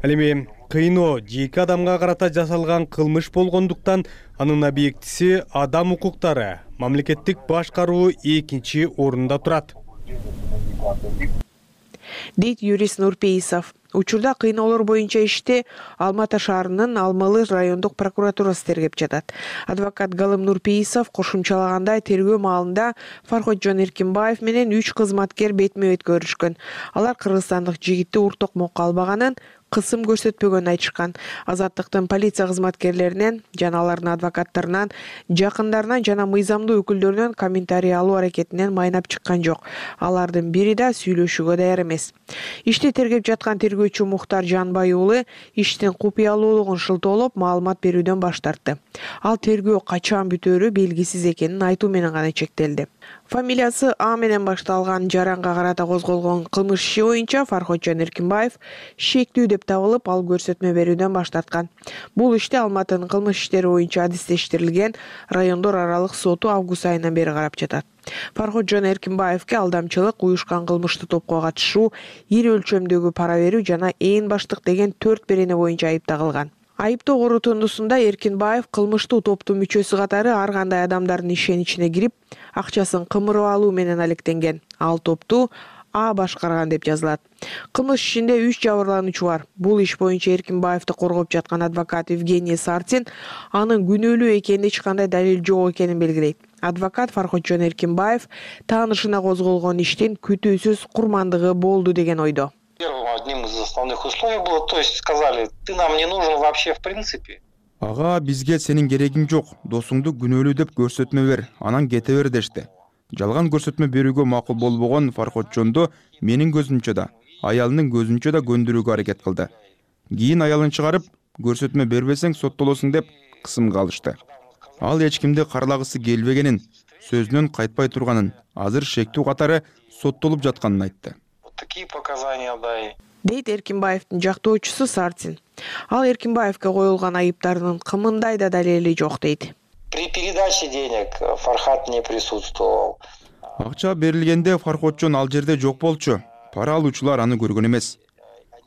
Ал эми кыйноо жеке адамга карата жасалган кылмыш болгондуктан анын объектиси адам укуктары, мамлекеттик башкаруу экинчи орунда турат, дейт юрист Нурпейисов. Учурда кыйноолор боюнча ишти Алма Ата шаарынын Алмалы райондук прокуратурасы тергеп жатат. Адвокат Галым Нурпейисов кошумчалагандай, тергөө маалында Фарходжон Эркинбаев менен 3 кызматкер бетме-бет көрүшкөн. Алар кыргызстандык жигитти уртокмокко албаганын, кысым көрсөтпөгөнүн айтышкан. Азаттыктын полиция кызматкерлеринен жана алардын адвокаттарынан, жакындарынан жана мыйзамдуу өкүлдөрүнөн комментарий алуу аракетинен майнап чыккан жок. Алардын бири да сүйлөшүүгө даяр эмес. Ишти тергеп жаткан тергөөчү Мухтар Жанбай уулу иштин купуялуулугун шылтоолоп маалымат берүүдөн баш тартты. Ал тергөө качан бүтөөрү белгисиз экенин айтуу менен гана чектелди. Фамилиясы А менен башталган жаранга карата козголгон кылмыш иши боюнча Фарходжон Эркинбаев шектүү деп табылып, ал көрсөтмө берүүдөн баш тарткан. Бул иште Алматынын кылмыш иштери боюнча адистештирилген райондор аралык соту август айынан бери карап жатат. Фарходжон Эркинбаевке алдамчылык, уюшкан кылмыштуу топко катышуу, ири өлчөмдөгү пара берүү жана ээн баштык деген 4 берене боюнча айып тагылган. Айыптоо корутундусунда Эркинбаев кылмыштуу топтун мүчөсү катары ар кандай адамдардын ишеничине кирип, акчасын кымырып алуу менен алектенген. Ал топту А башкарган деп жазылат. Кылмыш ишинде 3 жабырлануучу бар. Бул иш боюнча Эркинбаевди коргоп жаткан адвокат Евгений Сартин анын күнөөлүү экенин, эч кандай далил жок экенин белгилейт. Адвокат Фарходжон Эркинбаев таанышына козголгон иштин күтүүсүз курмандыгы болду деген ойдо. Одним из основных условий было, то есть сказали, ты нам не нужен вообще в принципе. Ага, бизге сенин керегиң жок, досуңду күнөөлүү деп көрсөтмө бер, анан кете бер дешти. Жалган көрсөтмө берүүгө макул болбогон Фарходжонду менин көзүмчө да, аялынын көзүнчө да көндүрүүгө аракет кылды. Кийин аялын чыгарып, көрсөтмө бербесең соттолосуң деп кысымга алышты. Ал эч кимди карлагысы келбегенин, сөзүнөн кайтпай турганын, азыр шектүү катары соттолуп жатканын айтты. Такие показания дай. Дейт Эркинбаевдин жактоочусу Сартин. Ал Эркинбаевге коюлган айыптардын кымындай да далили жок дейт. При передаче денег Фархат не присутствовал. Акча берилгенде Фарходжон ал жерде жок болчу. Пара алуучулар аны көргөн эмес.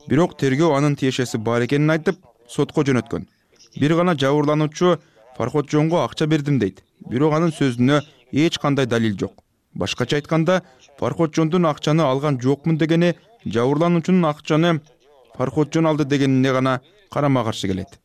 Бирок тергөө анын тиешеси бар экенин айтып, сотко жөнөткөн. Бир гана жабырлануучу Фарходжонго акча бердим дейт. Бирок анын сөзүнө эч кандай далил жок. Башкача айтканда, Фарходжондун акчаны алган жокмун дегени жабырлануучунун акчаны Фарходжон алды дегенине гана карама-каршы келет.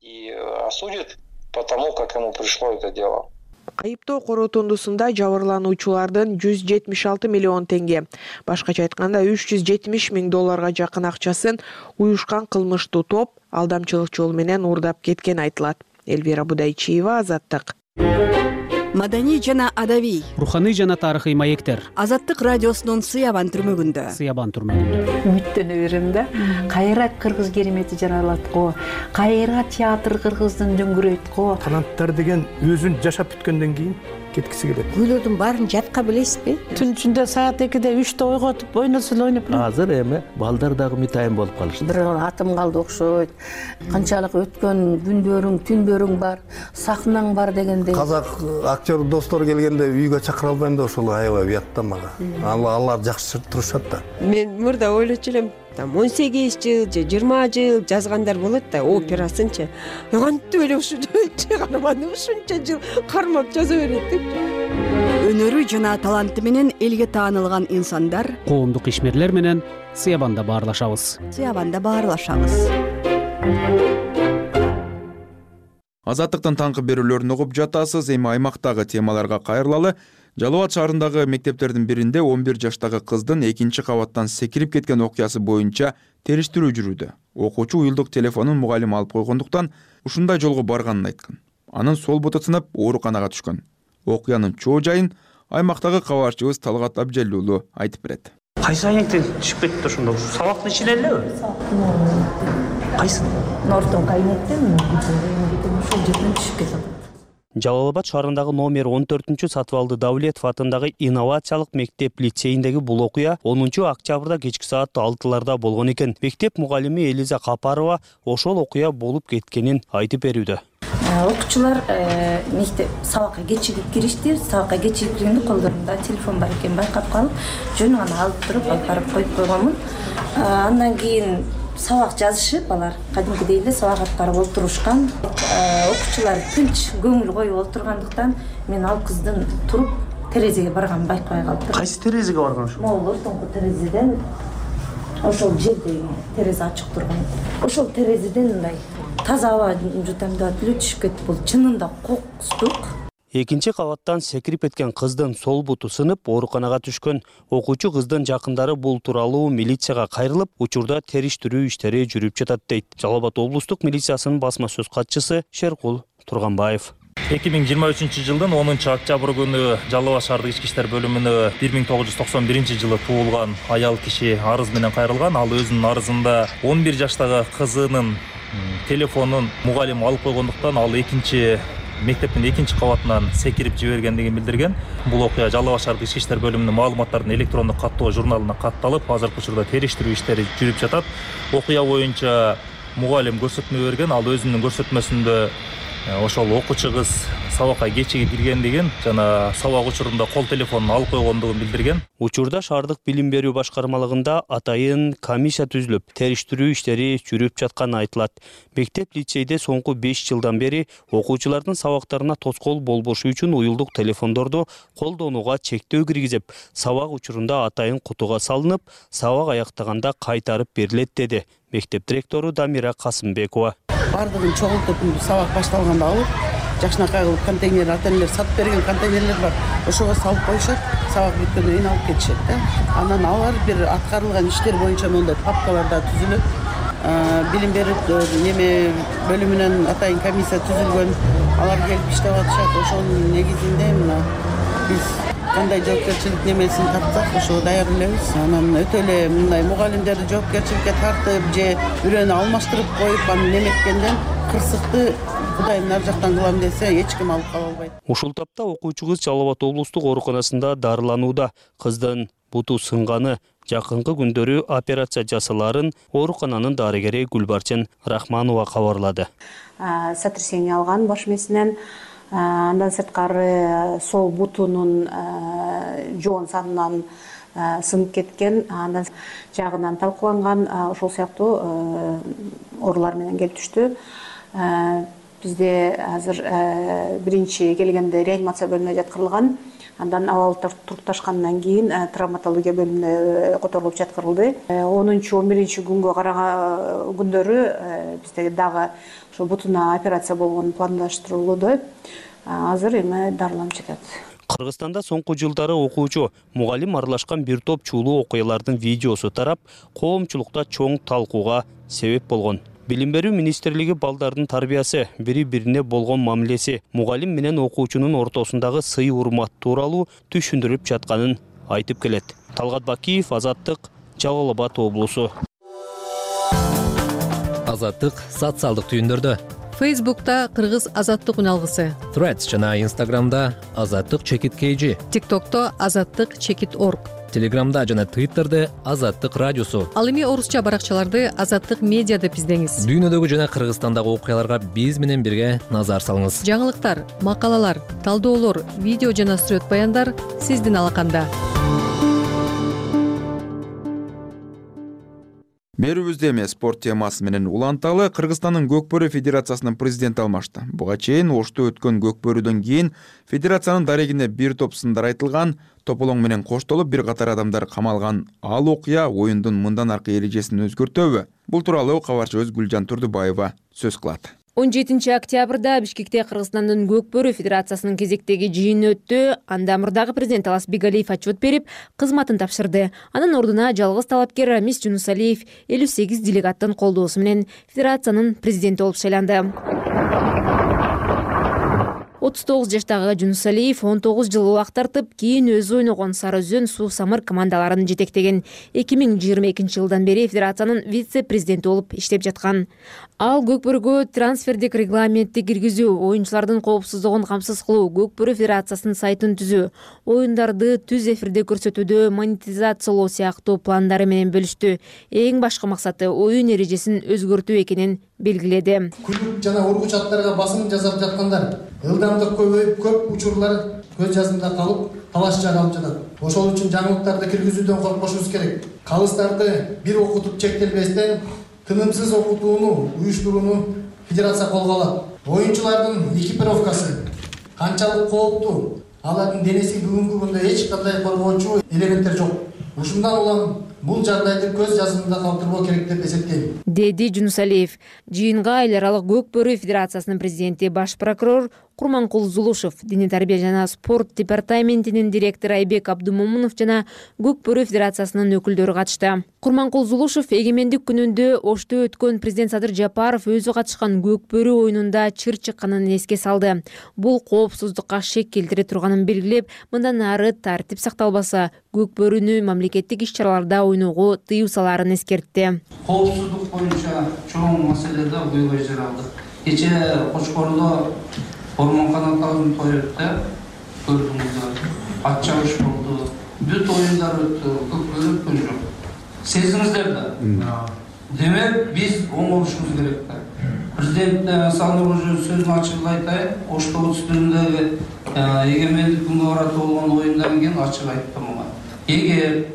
И осудит потому, как ему пришло это дело. Айыптоо корутундусунда жабырлануучулардын 176 миллион теңге, башкача айтканда $370,000 жакын акчасын уюшкан кылмыштуу топ алдамчылык жол менен уурдап кеткен айтылат. Элвира Будайчиева, Азаттык. маданий жана адабий, руханий жана тарыхый маектер. Азаттык радиосунун Сыябан түрмөгүндө. Үмүттөнө берем да. Кайра кыргыз керемети жаралат го. Кайра театр кыргыздын дөңгүрөйт го. Канаттар деген өзүн жашап бүткөндөн кийин кеткиси келет. Күйлөрдүн баарын жатка билесизби? Түн ичинде саат 2-де 3-те ойготуп, ойносо ойноп. Азыр эми балдар дагы мытайын болуп калышты. Бир атым калды окшойт. Канчалык өткөн күндөрүң, түндөрүң бар, сахнаң бар дегендей. Казак актер достор келгенде үйгө чакыра албайм да ошол аябай уят да мага. Алар жакшы турушат да. Мен мурда ойлочу элем, 18 жыл же 20 жыл жазгандар болот да, операсынчы. Кантип эле ушунча карманды, ушунча жыл кармап жаза берет деп. Өнөрү жана таланты менен элге таанылган инсандар, Коомдук ишмерлер менен Сыябанда баарлашабыз. Азаттыктын таңкы берүүлөрүн угуп жатасыз. Эми аймактагы темаларга кайрылалы. Жалал Абад шаарындагы мектептердин биринде 11 жаштагы кыздын 2 кабаттан секирип кеткен окуясы боюнча териштирүү жүрүүдө. Окуучу уюлдук телефонун мугалим алып койгондуктан ушундай жолго барганын айткан. Анын сол буту сынып ооруканага түшкөн. Окуянын чоо жайын аймактагы кабарчыбыз Талгат Абжеллуулу айтып берет. Кайсы аянктен түшүп кетти ошондо? Сабактын ичинен элеби? Кайсы? Нортон кабинеттен ошол жерден түшүп кетти. Жалал Абад шаарындагы номер 14 сатып алды Давлетов атындагы инновациялык мектеп лицейиндеги бул окуя 10 октябрда кечки саат 6-ларда болгон экен. Мектеп мугалими Элиза Капарова ошол окуя болуп кеткенин айтып берүүдө. Окуучулар мектеп сабакка кечигип киришти. Сабакка кечигип киргенде колдорунда телефон бар экенин байкап калып, жөн гана алып туруп алып барып коюп койгонмун. Андан кийин сабак жазышып, алар кадимкидей эле сабак аткарып олтурушкан. Окуучулар тынч көңүл коюп олтургандыктан мен ал кыздын туруп терезеге барганын байкабай калыптыр. Кайсы терезеге барган ошо? Могул ортоңку терезеден ошол жердеги терезе ачык турган. Ошол терезеден мындай таза аба жутам деп эле түшүп кетти. Бул чынында кокустук. Экинчи кабаттан секирип кеткен кыздын сол буту сынып, ооруканага түшкөн. Окуучу кыздын жакындары бул тууралуу милицияга кайрылып, учурда териштирүү иштери жүрүп жатат дейт. Жалал Абад облустук милициясынын басма сөз катчысы Шеркул Турганбаев. 2023 жылдын 10 октябрь күнү Жалал Абад шаардык ички иштер бөлүмүнө 1991 жылы туулган аял киши арыз менен кайрылган. Ал өзүнүн арызында 11 жаштагы кызынын телефонун мугалим алып койгондуктан ал мектептин 2 кабатынан секирип жибергендигин билдирген. Бул окуя Жалал Абад шаардык ички иштер бөлүмүнүн маалыматтарын электрондук каттоо журналына катталып, азыркы учурда териштирүү иштери жүрүп жатат. Окуя боюнча мугалим көрсөтмө берген. Ал өзүнүн көрсөтмөсүндө ошол окуучу кыз сабакка кечигип киргендигин жана сабак учурунда кол телефонун алып койгондугун билдирген. Учурда шаардык билим берүү башкармалыгында атайын комиссия түзүлүп, териштирүү иштери жүрүп жатканы айтылат. Мектеп лицейде соңку 5 жылдан бери окуучулардын сабактарына тоскоол болбошу үчүн уюлдук телефондорду колдонууга чектөө киргизип, сабак учурунда атайын кутуга салынып, сабак аяктаганда кайтарып берилет деди мектеп директору Дамира Касымбекова. Бардыгын чогултуп сабак башталганда алып, жакшынакай кылып контейнер, ата-энелер сатып берген контейнерлер бар. Ошого салып коюшат, сабак бүткөндөн кийин алып кетишет да. Анан алар бир аткарылган иштер боюнча мондай папкаларда түзүлөт. Билим берүү бөлүмүнөн атайын комиссия түзүлгөн. Алар келип иштеп атышат. Ошонун негизинде мына биз кандай жоопкерчилик немесин тартсак, ошого даяр элебиз. Анан өтө эле мындай мугалимдерди жоопкерчиликке тартып же үрөнү алмаштырып коюп, аны неметкенден кырсыкты Кудайым ар жактан кылам десе, эч ким алып кала албайт. Ушул тапта окуучу кыз Жалал Абад облустук ооруканасында дарыланууда. Кыздын буту сынганы, жакынкы күндөрү операция жасаларын оорукананын дарыгери Гүлбарчын Рахманова кабарлады. Сотрясение алган баш мээсинен, андан сырткары сол бутунун жоон санынан сынып кеткен, андан жагынан талкууланган, ошол сыяктуу оорулар менен келип түштү. Бизде азыр биринчи келгенде реанимация бөлүмүнө жаткырылган, андан абал турукташкандан кийин травматология бөлүмүнө которулуп жаткырылды. 10-11 күнгө караган күндөрү бизде дагы ошо бутуна операция болгон пландаштырылууда. Азыр эми дарыланып жатат. Кыргызстанда соңку жылдары окуучу, мугалим аралашкан бир топ чуулуу окуялардын видеосу тарап, коомчулукта чоң талкууга себеп болгон. Билим берүү министрлиги балдардын тарбиясы, бири-бирине болгон мамилеси, мугалим менен окуучунун ортосундагы сый урмат тууралуу түшүндүрүп жатканын айтып келет. Талгат Бакиев, Азаттык, Жалал Абад облусу. Азаттык социалдык түйүндөрдө. Фейсбукта Кыргыз Азаттык үналгысы. Threads жана Instagramда Азаттык чекит KG. TikTokто Азаттык чекит org. Телеграмда жана Twitterде Азаттык радиосу. Ал эми орусча баракчаларды Азаттык медиа деп издеңиз. Дүйнөдөгү жана Кыргызстандагы окуяларга биз менен бирге назар салыңыз. Жаңылыктар, макалалар, талдоолор, видео жана сүрөт баяндар сиздин алаканда. Берүүбүздө эми спорт темасы менен уланталы. Кыргызстандын Көкбөрү федерациясынын президенти алмашты. Буга чейин Ошто өткөн Көкбөрүдөн кийин федерациянын дарегине бир топ сындар айтылган, тополоң менен коштолуп бир катар адамдар камалган. Ал окуя оюндун мындан аркы эрежесин өзгөртөбү? Бул тууралуу кабарчыбыз Гүлжан Турдубаева сөз кылат. 17 октябрда Бишкекте Кыргызстандын Көкбөрү федерациясынын кезектеги жыйыны өттү. Анда мурдагы президент Алас Бегалиев отчет берип, кызматын тапшырды. Анын ордуна жалгыз талапкер Рамис Жунусалиев 58 делегаттын колдоосу менен федерациянын президенти болуп шайланды. 39 жаштагы Жунусалиев 19 жыл убакыт тартып, кийин өзү ойногон Сары Өзөн, Суу Самыр командаларын жетектеген. 2022 жылдан бери федерациянын вице-президенти болуп иштеп жаткан. Ал Көкбөрүгө трансфердик регламентти киргизүү, оюнчулардын коопсуздугун камсыз кылуу, Көкбөрү федерациясынын сайтын түзүү, оюндарды түз эфирде көрсөтүүдө монетизациялоо сыяктуу пландары менен бөлүштү. Эң башкы максаты оюн эрежесин өзгөртүү экенин белгиледи. Күлүп жана ургуч аттарга басым жасап жаткандар ылдамдык көбөйүп, көп учурлар көз жазымда калып, талаш жагалып жатат. Ошол үчүн жаңылыктарды киргизүүдөн коркпошубуз керек. Калыстарды бир окутуп чектелбестен тынымсыз окутууну уюштурууну федерация колго алат. Оюнчулардын экипировкасы канчалык кооптуу, алардын денеси бүгүнкү күндө эч кандай коргоочу элементтер жок. Ушундан улам бул жагдайды көз жазымында калтырбоо керек деп эсептейм, деди Жунусалиев. Жыйынга эл аралык Көкбөрү федерациясынын президенти, баш прокурор Курманкул Зулушев, Диний тарбия жана спорт департаментинин директору Айбек Абдумомунов жана Көкбөрү федерациясынын өкүлдөрү катышты. Курманкул Зулушев эгемендик күнүндө Ошто өткөн президент Садыр Жапаров өзү катышкан Көкбөрү оюнунда чыр чыкканын эске салды. Бул коопсуздукка шек келтире турганын белгилеп, мындан ары тартип сакталбаса, Көкбөрүнү мамлекеттик иш-чараларда ойноого тыюу салаарын эскертти. Коопсуздук боюнча чоң маселелерде ойгой жаралдык. Кече Кочкордо Ормон канаттарын той өттү, көрдүңүздөр. Ат чабыш болду. Бүт оюндар өттү, Көкбөрү өткөн жок. Сездиңиздер да. Демек, биз оңолушубуз керек да. Президент Сандыр сөзүн ачык айтайын, Ошто үстүндөгү эгемендик күнгө карата болгон оюндан кийин ачык айттым ага. Эгер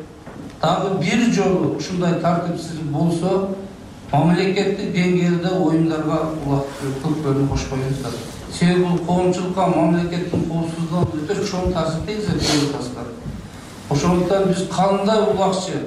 дагы бир жолу ушундай тартипсиздик болсо, мамлекеттик деңгээлде оюндарга Көкбөрүнү кошпойбуз. Себеби бул коомчулукка, мамлекеттин коопсуздугуна өтө чоң таасир тийгизет. Ошондуктан биз кандай улакчы,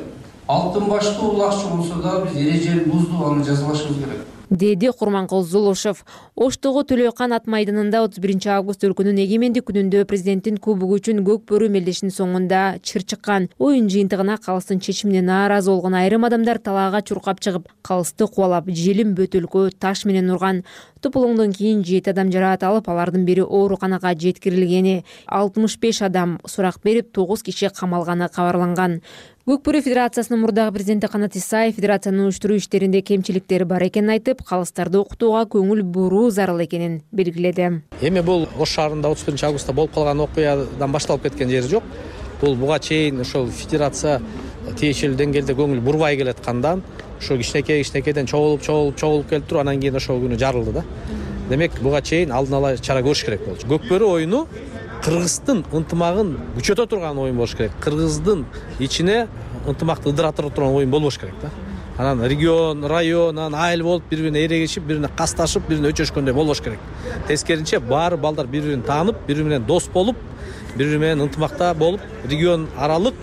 алтын баштуу улакчы болсо да биз эрежени буздук, аны жазбашыбыз керек, деди Курманкул Зулушев. Оштогу Төлөкан ат майданында 31 август өлкөнүн эгемендик күнүндө президенттин кубогу үчүн Көкбөрү мелдешинин соңунда чыр чыккан. Оюн жыйынтыгына калыстын чечимине нааразы болгон айрым адамдар талаага чуркап чыгып, калысты кубалап, желим бөтөлкө таш менен урган. Тополоңдон кийин 7 адам жараат алып, алардын бири ооруканага жеткирилгени, 65 адам сурак берип, 9 киши камалганы кабарланган. Көкбөрү федерациясынын мурдагы президенти Канат Исаев федерациянын уюштуруу иштеринде кемчиликтери бар экенин айтып, калыстарды окутууга көңүл буруу зарыл экенин белгиледи. Эми бул Ош шаарында 31 августта болуп калган окуядан башталып кеткен жери жок. Бул буга чейин ошол федерация тиешелүү деңгээлде көңүл бурбай келаткандан, ошо кичинекейден чогулуп келип туруп, анан кийин ошол күнү жарылды да. Демек, буга чейин алдын ала чара көрүш керек болчу. Көкбөрү оюну Кыргыздын ынтымагын күчөтө турган оюн болуш керек. Кыргыздын ичине ынтымакты ыдыратып турган оюн болбош керек да. Анан регион, район, айыл болуп, бири-бирине эрегишип, бири-бирине касташып, бири-бирине өчөшкөндөй болбош керек. Тескерисинче, баары балдар бири-бирин таанып, бири-бири менен дос болуп, бири-бири менен ынтымакта болуп, регион аралык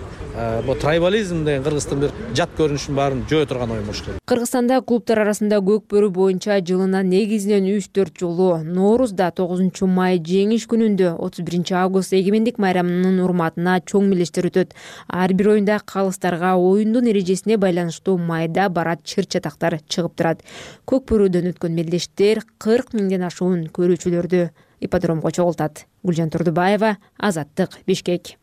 бул трайбализм деген кыргыздын бир жат көрүнүшүн баарын жөө турган оюн болуш керек. Кыргызстанда клубтар арасында көк бөрү боюнча жылына негизинен 3-4 жолу Ноорузда 9 май жеңиш күнүндө 31 август эгемендик майрамынын урматына чоң мелдештер өтөт. Ар бир оюнда калыстарга оюндун эрежесине байланыштуу майда барат чыр-чатактар чыгып турат. Көк бөрүдөн өткөн мелдештер 40 миңден ашуун көрүүчүлөрдү ипподромго чогултат. Гүлжан Турдубаева, Азаттык, Бишкек.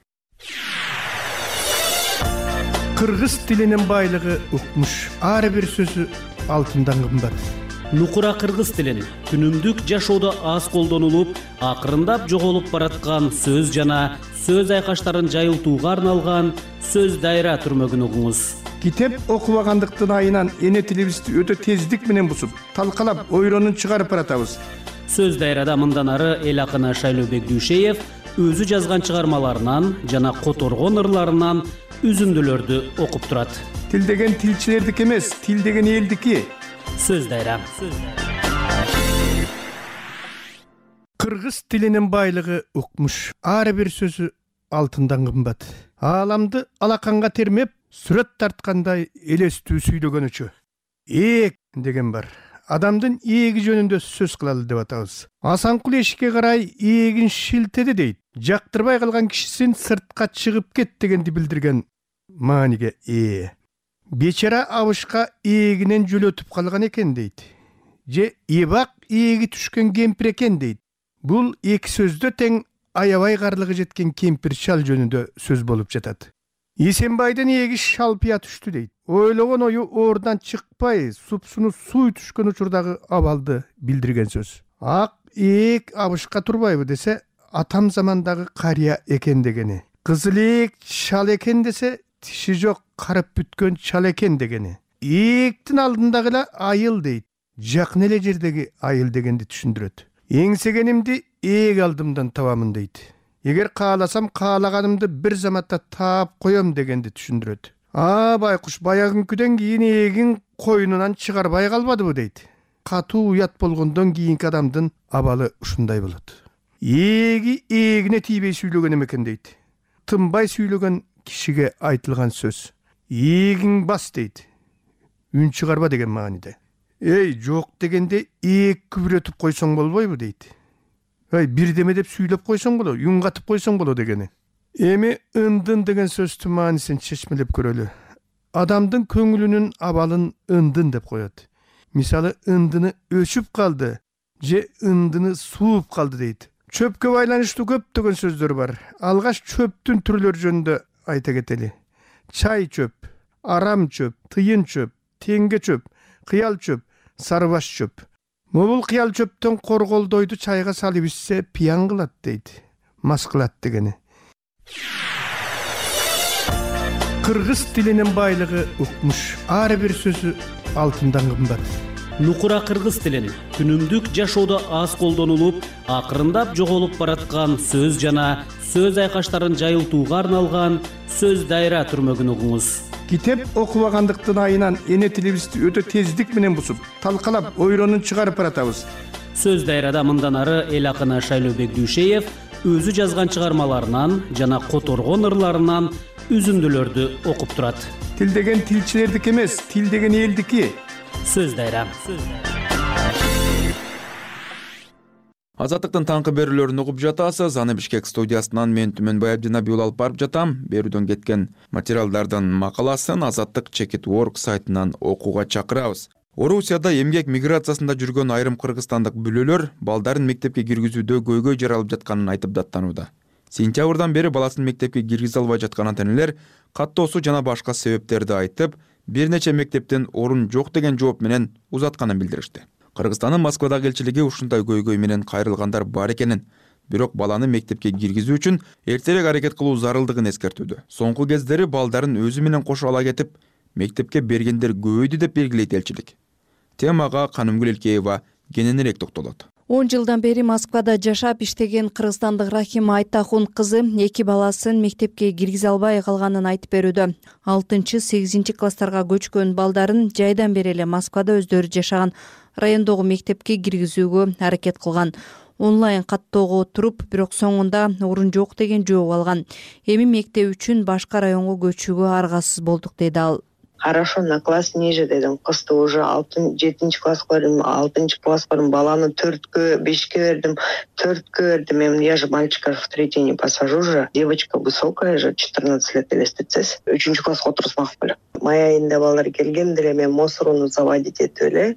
Кыргыз тилинин байлыгы укмуш. Ар бир сөзү алтындан кымбат. Нукура кыргыз тилин күнүмдүк жашоодо аз колдонулуп, акырындап жоголуп бараткан сөз жана сөз айкаштарын жайылтууга арналган сөз дайра түрмөгүн угуңуз. Китеп окубагандыктын айынан эне тилибизди өтө тездик менен бусуп, талкалап, ойронун чыгарып баратабыз. Сөз дайрада мындан ары эл акыны Шайлообек Дүйшеев өзү жазган чыгармаларынан жана которгон ырларынан үзүндүлөрдү окуп турат. Тил деген тилчилердики эмес, тил деген элдики. Сөз дайра. Кыргыз тилинин байлыгы укмуш. Ар бир сөзү алтындан кымбат. Ааламды алаканга термеп, сүрөт тарткандай элестүү сүйлөгөнүчү. Эек деген бар. Адамдын ээги жөнүндө сөз кылалы деп атабыз. Асанкул эшикке карай ээлин шилтеди дейт. Жактырбай калган кишисин сыртка чыгып кет дегенди билдирген мааниге ээ. Бечара абышка ээлинен жөлөтүп калган экен дейт. Же эбак ээги түшкөн кемпир экен дейт. Бул эки сөздө тең аябай карлыгы жеткен кемпир шал жөнүндө сөз болуп жатат. Эсенбайдын ээги шалпыя түштү дейт. Ойлогон ою оордан чыкпай, супсуну суй түшкөн учурдагы абалды билдирген сөз. Ак эек абышка турбайбы десе, атам замандагы карыя экен дегени. Кызыл эек шал экен десе, тиши жок карып бүткөн чал экен дегени. Эектин алдындагы эле айыл дейт. Жакын эле жердеги айыл дегенди түшүндүрөт. Эңсегенимди эек алдымдан табамын дейт. Эгер кааласам каалаганымды бир заматта таап коем дегенди түшүндүрөт. Байкуш баягынкүдөн кийин эгин койнунан чыгарбай калбадыбы дейт. Катуу уят болгондон кийинки адамдын абалы ушундай болот. Эги эгине тийбей сүйлөгөн экен дейт. Тынбай сүйлөгөн кишиге айтылган сөз. Эгиң бас дейт. Үн чыгарба деген мааниде. Жок дегенде ээг күбүрөтүп койсоң болбойбу дейт. Бирдеме деп сүйлөп койсоң боло, үн катып койсоң боло дегени. Эми ындын деген сөздүн маанисин чечмелеп көрөлү. Адамдын көңүлүнүн абалын ындын деп коет. Мисалы, ындыны өчүп калды, же ындыны сууп калды дейт. Чөпкө байланыштуу көптөгөн сөздөр бар. Алгаш чөптүн түрлөрү жөнүндө айта кетели. Чай чөп, арам чөп, тыйын чөп, теңге чөп, кыял чөп, сарыбаш чөп. Могул кыял чөптөн корголдойду чайга салып ичсе пиян кылат дейт. Мас кылат дегени. Кыргыз тилинин байлыгы укмуш. Ар бир сөзү алтындан кымбат. Нукура кыргыз тилин күнүмдүк жашоодо аз колдонулуп, акырындап жоголуп бараткан сөз жана сөз айкаштарын жайылтууга арналган сөз дайра түрмөгүн угуңуз. Китеп окубагандыктын айынан эне тилибизди өтө тездик менен бусуп, талкалап, ойронун чыгарып баратабыз. Сөз дайрада мындан ары эл акыны Шайлообек Дүйшеев өзү жазган чыгармаларынан жана которгон ырларынан үзүндүлөрдү окуп турат. Тил деген тилчилердики эмес, тил деген элдики. Сөз дайра. Азаттыктын таңкы берүүлөрүн угуп жатасыз. Аны Бишкек студиясынан мен Түмөнбай Абдинабиул алып барып жатам. Берүүдөн кеткен материалдардын макаласын Азаттык Чекит.org сайтынан окууга чакырабыз. Орусияда эмгек миграциясында жүргөн айрым кыргызстандык бүлөлөр балдарын мектепке киргизүүдө көйгөй жаралып жатканын айтып даттанууда. Сентябрдан бери баласын мектепке киргизе албай жаткан ата-энелер каттоосу жана башка себептерди айтып, бир нече мектептен орун жок деген жооп менен узатканын билдиришти. Кыргызстандын Москвадагы элчилиги ушундай көйгөй менен кайрылгандар бар экенин, бирок баланы мектепке киргизүү үчүн эртерээк аракет кылуу зарылдыгын эскертүүдө. Соңку кездери балдарын өзү менен кошо ала кетип, мектепке бергендер көбөйдү деп белгилейт элчилик. Темага Канымгүл Элкеева кененирээк токтолот. 10 жылдан бери Москвада жашап иштеген кыргызстандык Рахима Айтахун кызы 2 баласын мектепке киргизе албай калганын айтып берүүдө. 6-8 класстарга көчкөн балдарын жайдан бери эле Москвада өздөрү жашаган райондогу мектепке киргизүүгө аракет кылган. онлайн каттоого отуруп, бирок соңунда орун жок деген жооп алган. Эми мектеп үчүн башка районго көчүүгө аргасыз болдук дейт ал. Хорошо, на класс ниже дедим. Кызды уже 7 класска бердим, 6 класска бердим. Баланы 4-кө, 5-кө бердим, 4-кө бердим. Я же мальчика в 3-й не посажу же. Девочка высокая же, 14 лет элестетсез. 3-нчү класска отурсмак беле. Май айында балдар келгендер, мен мусорну заводить этип эле.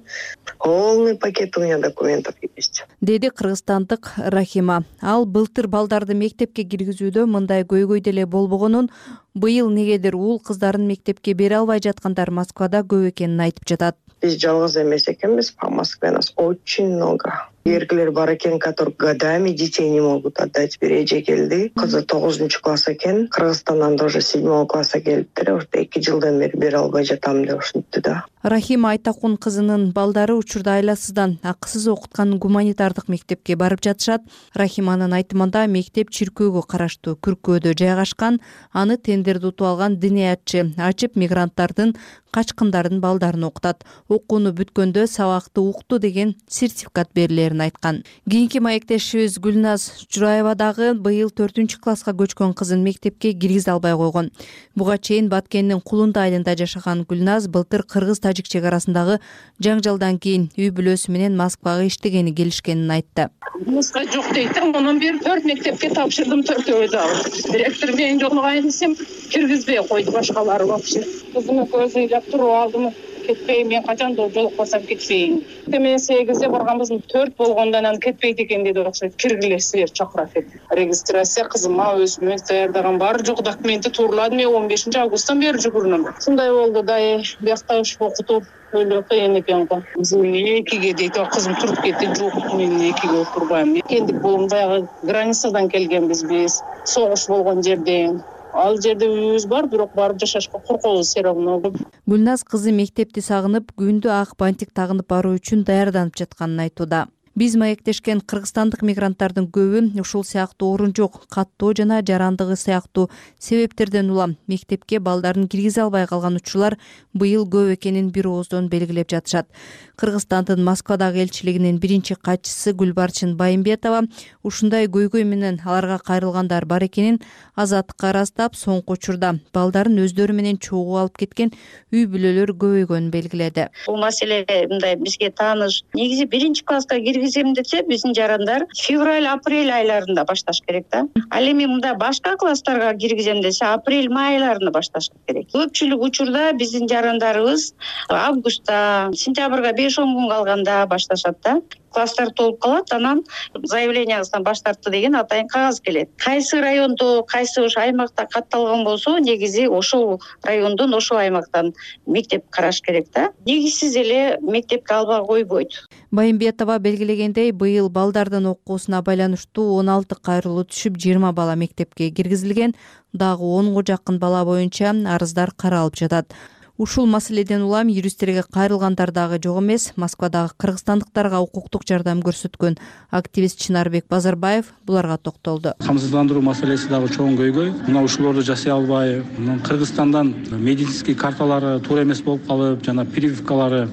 Полный пакет у меня документов есть. Деди кыргызстандык Рахима. Ал былтыр балдарды мектепке киргизүүдө мындай көйгөй деле болбогонун, быйыл негедир уул кыздарын мектепке бере албай жаткандар Москвада көп экенин айтып жатат. Биз жалгыз эмес экенбиз, по Москве нас очень много. Эркелер бар экен, которые годами детей не могут отдать. Бир эже келди, кызы 9-нчу класс экен, Кыргызстандан тоже 7 класска келиптир. Ошто 2 жылдан бери бере албай жатам деп ушинтти да. Рахима Айтакун кызынын балдары учурда айласыздан акысыз окуткан гуманитардык мектепке барып жатышат. Рахиманын айтымында мектеп чиркөөгө караштуу Күркөөдө жайгашкан, аны тендерди утуп алган диниятчы ачып мигранттардын качкындардын балдарын окутат. Окууну бүткөндө сабакты укту деген сертификат берилерин айткан. Кийинки маектешибиз Гүлназ Жураева дагы быйыл 4-нчү класска көчкөн кызын мектепке киргизе албай койгон. Буга чейин Баткендин Кулунда айылында жашаган Гүлназ былтыр кыргыз-тажик чек арасындагы жаңжалдан кийин үй бүлөсү менен Москвага иштегени келишкенин айтты. Муска жок дейт. Онун бир 4 мектепке тапшырдым, 4-өө дагы. Директор мен жолугайын десем, киргизбей койду башкалары вообще. Кызым көзү ыйлап туруп алдым. Кетпейм, мен качан жолукпасам кетпейм. Мен 8-де барганбыз, 4 болгондон анан кетпейт экен деди, окшойт. Киргилесиңер чакырат деп. Регистрация кызыма өзүмө даярдаган бар жок документи турладым. Мен 15 августтан бери жүгүрүнөм. Шундай болду да, биякта уш окутуп өлө кыйын экен го. Мен 2ге дейт, кызым туруп кетти. Жок, мен 2ге отурбайм. Кендик болум баягы границадан келгенбиз биз. Согуш болгон жерден. Ал жерде үйүбүз бар, бирок барып жашашка коркобуз все равно. Гүлназ кызы мектепти сагынып, күндү ак бантик тагынып баруу үчүн даярданып жатканын айтууда. Биз маектешкен кыргызстандык мигранттардын көбү ушул сыяктуу орун жок, каттоо жана жарандыгы сыяктуу себептерден улам мектепке балдарын киргизе албай калган учурлар быйыл көп экенин бир ооздон белгилеп жатышат. Кыргызстандын Москвадагы элчилигинин биринчи катчысы Гүлбарчын Байымбетова ушундай көйгөй менен аларга кайрылгандар бар экенин Азаттыкка ырастап, соңку учурда балдарын өздөрү менен чогуу алып кеткен үй бүлөлөр көбөйгөнүн белгиледи. Бул маселе мындай бизге тааныш. Негизи 1-класска киргизем десе, биздин жарандар февраль-апрель айларында башташ керек да. Ал эми мында башка класстарга киргизем десе, апрель-май айларында башташ керек. Көпчүлүк учурда биздин жарандарыбыз августта, сентябрга 5-10 күн калганда башташат да. Класстар толуп калат, анан заявленияңыздан баш тартты деген атайын кагаз келет. Кайсы райондо, кайсы ош аймакта катталган болсо, негизи ошол райондон, ошол аймактан мектеп караш керек да. Негизсиз эле мектепке албай койбойт. Байымбетова белгилегендей, быйыл балдардын окуусуна байланыштуу 16 кайрылуу түшүп, 20 бала мектепке киргизилген, дагы 10га жакын бала боюнча арыздар каралып жатат. Ушул маселеден улам юристтерге кайрылгандар дагы жок эмес. Москвадагы кыргызстандыктарга укуктук жардам көрсөткөн активист Чынарбек Базарбаев буларга токтолду. Камсыздандыруу маселеси дагы чоң көйгөй. Мына ушулорду жасай албай, Кыргызстандан медицинский карталары туура эмес болуп калып, жана прививкалары,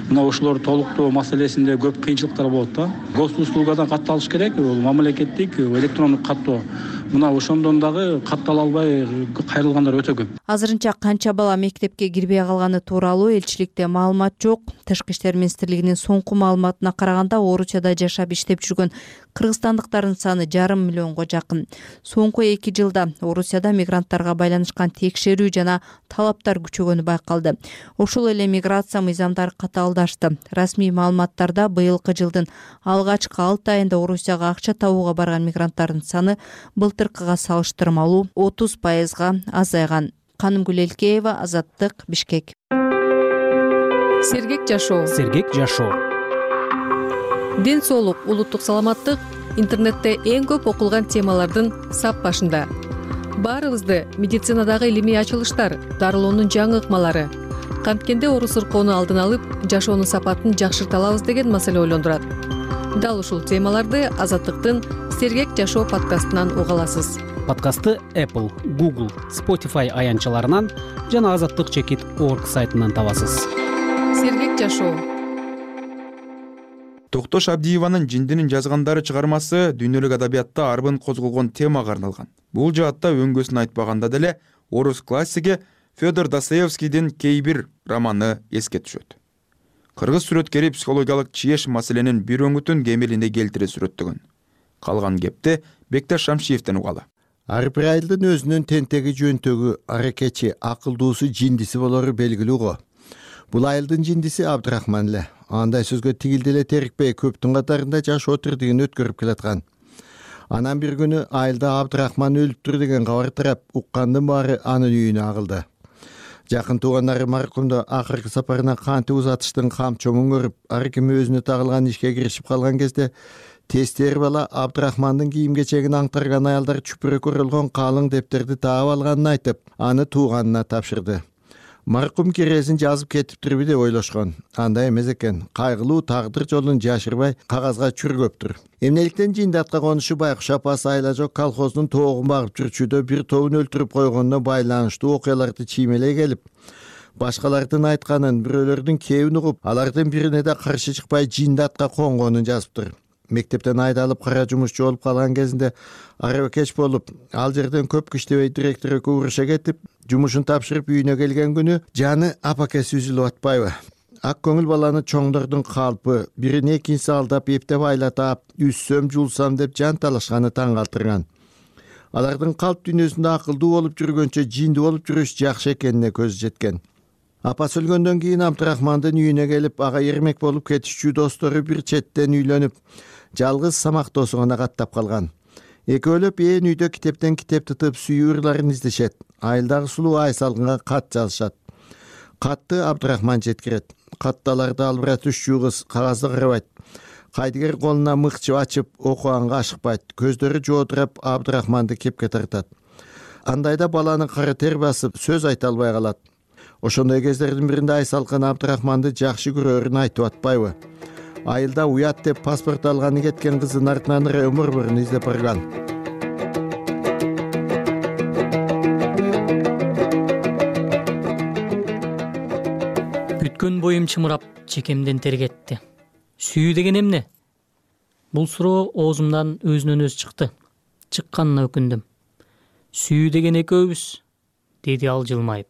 мына ушулор толуктоо маселесинде көп кыйынчылыктар болот да. Госуслугадан катталыш керек, бул мамлекеттик электрондук каттоо. Мына ошондон дагы каттала албай кайрылгандар өтө көп. Азырынча канча бала мектепке кирбей калганы тууралуу элчиликте маалымат жок. Тышкы иштер министрлигинин соңку маалыматына караганда, Орусияда жашап иштеп жүргөн кыргызстандыктардын саны 5,5 миллионго жакын. Соңку 2 жылда Орусияда мигранттарга байланышкан текшерүү жана талаптар күчөгөнү байкалды. Ошол эле миграция мыйзамдары катаалдашты. Расмий маалыматтарда быйылкы жылдын алгачкы 6 айында Орусияга акча табууга барган мигранттардын саны былтыркыга салыштырмалуу 30% азайган. Канымгүл Элкеева, Азаттык, Бишкек. Сергек жашоо. Сергек жашоо. Ден соолук, улуттук саламаттык интернетте эң көп окулган темалардын сап башында. Баарыбызды медицинадагы илимий ачылыштар, дарылоонун жаңы ыкмалары, канткенде оору сыркоону алдын алып, жашоонун сапатын жакшырта алабыз деген маселе ойлондурат. Дал ушул темаларды Азаттыктын Сергек жашоо подкастынан уга аласыз. Подкастты Apple, Google, Spotify аянтчаларынан жана azattik.org сайтынан табасыз. Сергек жашоо. Токтош Абдиеванын Жиндинин жазгандары чыгармасы дүйнөлүк адабиятта арбын козголгон темага арналган. Бул жаатта өңгөсүн айтпаганда деле орус классиги Федор Достоевскийдин кей бир романы эске түшөт. Кыргыз сүрөткери психологиялык чиеш маселенин бир өңүтүн кемелине келтире сүрөттөгөн. Калган кепти Бекташ Шамшиевден угалы. Ар бир айылдын өзүнүн тентеги, жөнтөгү, аракечи, акылдуусу, жиндиси болору белгилүү го. Бул айылдын жиндиси Абдрахман эле. Андай сөзгө тигилди эле терикпей көптүн катарында жаш отурдугун өткөрүп келаткан. Анан бир күнү айылда Абдрахман өлүптүр деген кабар тарап, уккандын баары анын үйүнө агылды. Жакын туугандары маркумду акыркы сапарына кантип узатыштын камчоңун көрүп, ар ким өзүнө тагылган ишке киришип калган кезде тестер бала Абдрахмандын кийим кечегин аңтарган аялдар чүпүрөк өрөлгөн калың дептерди таап алганын айтып, аны тууганына тапшырды. Маркум киресин жазып кетиптирби деп ойлошкон. Андай эмес экен. Кайгылуу тагдыр жолун жашырбай кагазга чүргөптүр. Эмнеликтен жиндатка конушу Байкуш апасы Айла жок колхоздун тоогун багып жүрчүдө бир тобун өлтүрүп койгонуна байланыштуу окуяларды чиймелей келип, башкалардын айтканын, бирөөлөрдүн кебин угуп, алардын бирине да каршы чыкпай жиндатка конгонун жазыптыр. Мектептен айдалып кара жумушчу болуп калган кезинде араба кеч болуп, ал жерден көп иштебей директор экөө уруша кетип, жумушун тапшырып үйүнө келген күнү жаны апакеси үзүлүп атпайбы. Ак көңүл баланы чоңдордун калпы, бирин экинчиси алдап, эптеп айлатап, үссөм, жулсам деп жан талашканы таң калтырган. Алардын калп дүйнөсүндө акылдуу болуп жүргөнчө жинди болуп жүрүш жакшы экенине көзү жеткен. Апасы өлгөндөн кийин Абдрахмандын үйүнө келип, ага эрмек болуп кетишчү достору бир четтен үйлөнүп, жалгыз самактоосу гана каттап калган. Экөөлөп ээн үйдө китептен китеп тытып сүйүүрларын издешет. Айылдагы сулуу Айсалкынга кат жазышат. Катты Абдрахман жеткирет. Катталарды албыратышчу кыз кагазды карабайт. Кайдыгер колуна мыкчып ачып, окуганга ашыкпайт. Көздөрү жоодурап Абдрахманды кепке тартат. Андайда баланы кара тер басып, сөз айта албай калат. Ошондой кездердин биринде Айсалкын Абдрахманды жакшы көрөрүн айтып атпайбы? Айылда уят деп паспорт алганы кеткен кыздын артынан өмүр издеп барган. Бүткөн боюм чымырап, чекемден тер кетти. Сүйүү деген эмне? Бул суроо оозумдан өзүнөн өзү чыкты. Чыкканына өкүндүм. Сүйүү деген экөөбүз, деди ал жылмайып.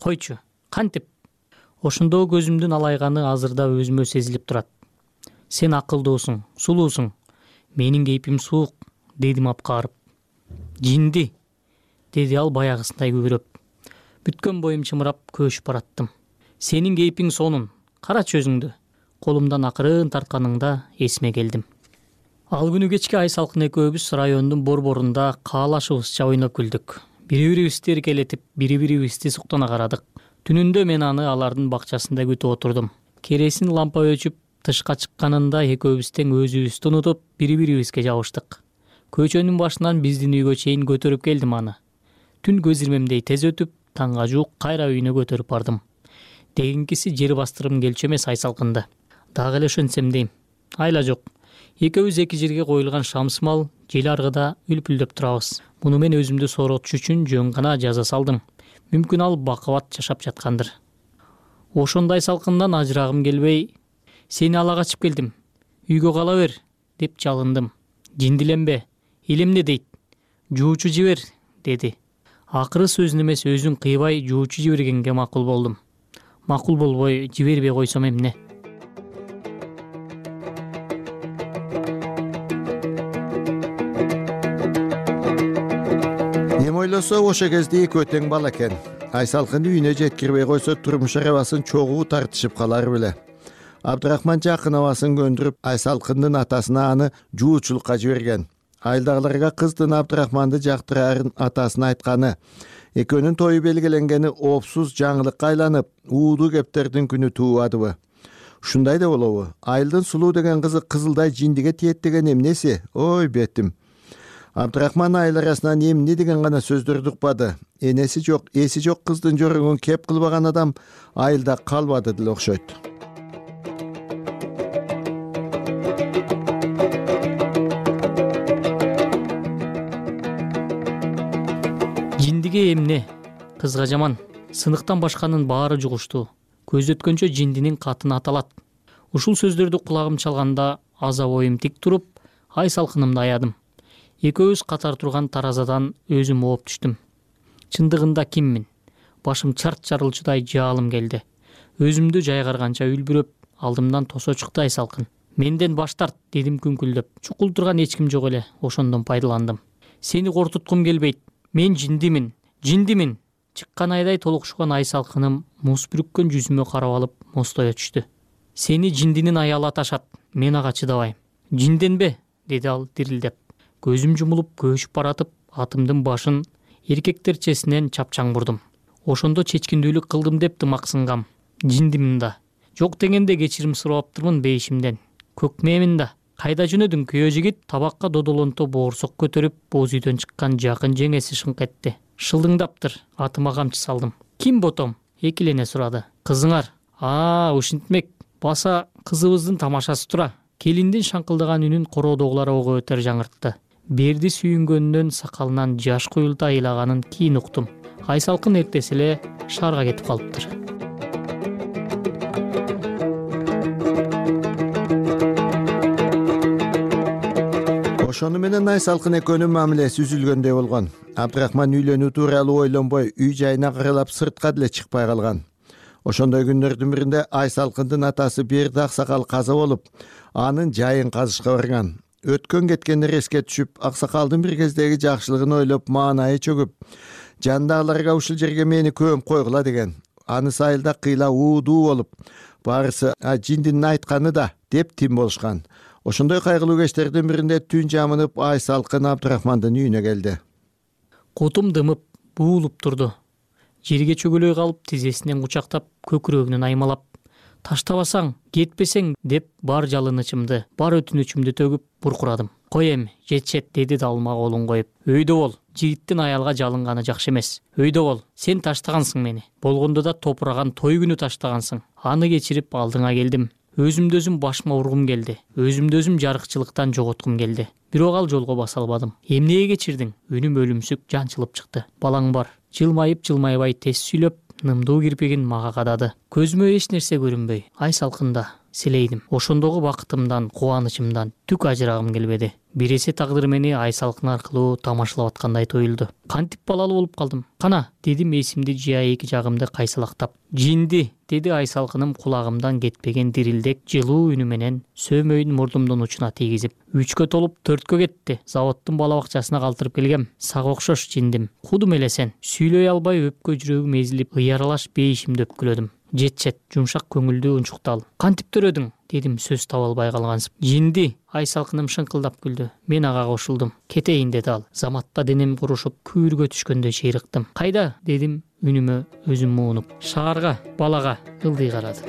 Койчу, кантип? Ошондо көзүмдүн алайганы азырда өзүмө сезилип турат. Сен акылдуусуң, сулуусуң. Менин кейпим суук, дедим апкарып. Жинди, деди ал баягысындай күбүрөп. Бүткөн боюм чымырап, көчүп бараттым. Сенин кейпиң сонун, карачы өзүңдү. Колумдан акырын тартканыңда эсиме келдим. Ал күнү кечке Айсалкын экөөбүз райондун борборунда каалашыбызча ойноп күлдүк. Бири-бирибизди эркелетип, бири-бирибизди суктана карадык. Түнүндө мен аны алардын бакчасында күтүп отурдум. Кересин лампа өчүп, тышка чыкканында экөөбүз тең өзүбүздү унутуп, бири-бирибизге жабыштык. Көчөнүн башынан биздин үйгө чейин көтөрүп келдим аны. Түн көз ирмемдей тез өтүп, таңга жуук кайра үйүнө көтөрүп бардым. Дегенкиси жер бастырым келчү эмес Айсалкынды. Дагы эле ошентсем дейм. Айла жок. Экөөбүз эки жерге коюлган шамсымал жел аргыда үлпүлдөп турабыз. Муну мен өзүмдү сооротуш үчүн жөн гана жаза салдым. Мүмкүн ал бакыбат жашап жаткандыр. Ошондо Айсалкындан ажырагым келбей, сени ала качып келдим. Үйгө кала бер, деп жалындым. Жиндиленбе, элемне дейт. Жуучу жибер, деди. Акыры сөзүн эмес өзүн кыйбай жуучу жибергенге макул болдум. Макул болбой жибербей койсом эмне? Ойлосо ошо кезде экөө тең бала экен. Айсалкын үйүнө жеткирбей койсо турмуш арабасын чогуу тартышып калар беле. Абдрахман жакын абасын көндүрүп, Айсалкындын атасына аны жуучулукка жиберген. Айылдагыларга кыздын Абдрахманды жактырарын атасына айтканы, экөөнүн тою белгиленгени опсуз жаңылыкка айланып, уудуу кептердин күнү туубадыбы? Ушундай да болобу? Айылдын сулуу деген кызы кызылдай жиндиге тиет деген эмнеси? Ой бетим. Абдрахман айыл арасынан эмне деген гана сөздөрдү укпады. Энеси жок, эси жок кыздын жорогун кеп кылбаган адам айылда калбады деле окшойт. Жиндиге эмне? Кызга жаман. Сыныктан башканын баары жугуштуу. Көз өткөнчө жиндинин катыны аталат. Ушул сөздөрдү кулагым чалганда аза боюм тик туруп, ай салкынымды аядым. Экөөбүз катар турган таразадан өзүм ооп түштүм. Чындыгында киммин? Башым чарт жарылчудай жаалым келди. Өзүмдү жайгарганча үлбүрөп, алдымдан тосо чыкты ай салкын. Менден баш тарт, дедим күңкүлдөп. Чукул турган эч ким жок эле, ошондон пайдаландым. Сени кортуткум келбейт. Мен жиндимин, жиндимин. Чыккан айдай толукшуган ай салкыным муз бүрүккөн жүзүмө карап алып мостое түштү. Сени жиндинин аялы аташат, мен ага чыдабайм. Жинденбе, деди ал дирилдеп. Көзүм жумулуп көөшүп баратып, атымдын башын эркектерчесинен чапчаң бурдум. Ошондо чечкиндүүлүк кылдым деп тымаксынгам. Жиндимин да. Жок дегенде кечирим сурабаптырмын бейишимден. Көкмемин да. Кайда жөнөдүң күйөө жигит? Табакка додолонто боорсок көтөрүп, боз үйдөн чыккан жакын жеңеси шыңк этти. Шылдыңдаптыр, атыма камчы салдым. Ким ботом? Экилене сурады. Кызыңар. Ушинтмек. Баса кызыбыздын тамашасы тура. Келиндин шаңкылдаган үнүн короодогулар ого өтөр жаңыртты. Берди сүйүнгөнүнөн сакалынан жаш куюлта айлаганын кийин уктум. Ай салкын эртеси эле шаарга кетип калыптыр. Ошону менен ай салкын экөөнүн мамилеси үзүлгөндөй болгон. Абдрахман үйлөнүү тууралуу ойлонбой, үй жайына каралап сыртка деле чыкпай калган. Ошондой күндөрдүн биринде ай салкындын атасы Берди аксакал каза болуп, анын жайын казышка барган. Өткөн кеткендер эске түшүп, аксакалдын бир кездеги жакшылыгын ойлоп, маанайы чөгүп, жандагыларга ушул жерге мени көмүп койгула деген. Аны сайылда кыйла уудуу болуп, баарысы жиндинин айтканы да деп тим болушкан. Ошондой кайгылуу кечтердин биринде түн жамынып, ай салкын Абдрахмандын үйүнө келди. Кутум дымып, буулуп турду. Жерге чөгөлөй калып, тизесинен кучактап, көкүрөгүнөн аймалап, таштабасаң, кетпесең деп бар жалынычымды, бар өтүнүчүмдү төгүп буркурадым. Кой эми, жетишет, деди далыма колун коюп. Өйдө бол, жигиттин аялга жалынганы жакшы эмес. Өйдө бол, сен таштагансың мени. Болгондо да топураган той күнү таштагансың. Аны кечирип алдыңа келдим. Өзүмдү өзүм башыма ургум келди. Өзүмдү өзүм жарыкчылыктан жоготкум келди. Бирок ал жолго баса албадым. Эмнеге кечирдиң? Үнүм өлүмсүк жанчылып чыкты. Балаң бар. Жылмайып-жылмайбай тез сүйлөп, нымдуу кирпигин мага кадады. Көзүмө эч нерсе көрүнбөй, ай салкында силейдим. Ошондогу бакытымдан, кубанычымдан түк ажырагым келбеди. Бир эсе тагдыр мени ай салкын аркылуу тамашалап аткандай тоюлду. Кантип балалуу болуп калдым? Кана, дедим эсимди жыя эки жагымды кайсалактап. Жинди, деди ай салкыным кулагымдан кетпеген дирилдек жылуу үнү менен сөөмөйүн мурдумдун учуна тийгизип. 3кө толуп 4кө кетти. Заводдун бала бакчасына калтырып келгем. Сага окшош жиндим. Кудум эле сен. Сүйлөй албай өпкө жүрөгүм эзилип, ыяралаш бейишимди өпкүлөдүм. Жетчет, жумшак көңүлдүү унчуктал. Кантип төрөдүң? Дедим сөз таба албай калгансып. Жинди, ай салкыным шыңкылдап күлдү. Мен ага кошулдум. Кетейин, деди ал. Заматта денем курушуп, күүргө түшкөндөй чыйрыктым. Кайда? Дедим үнүмө өзүм муунуп. Шаарга, балага, ылдый карады.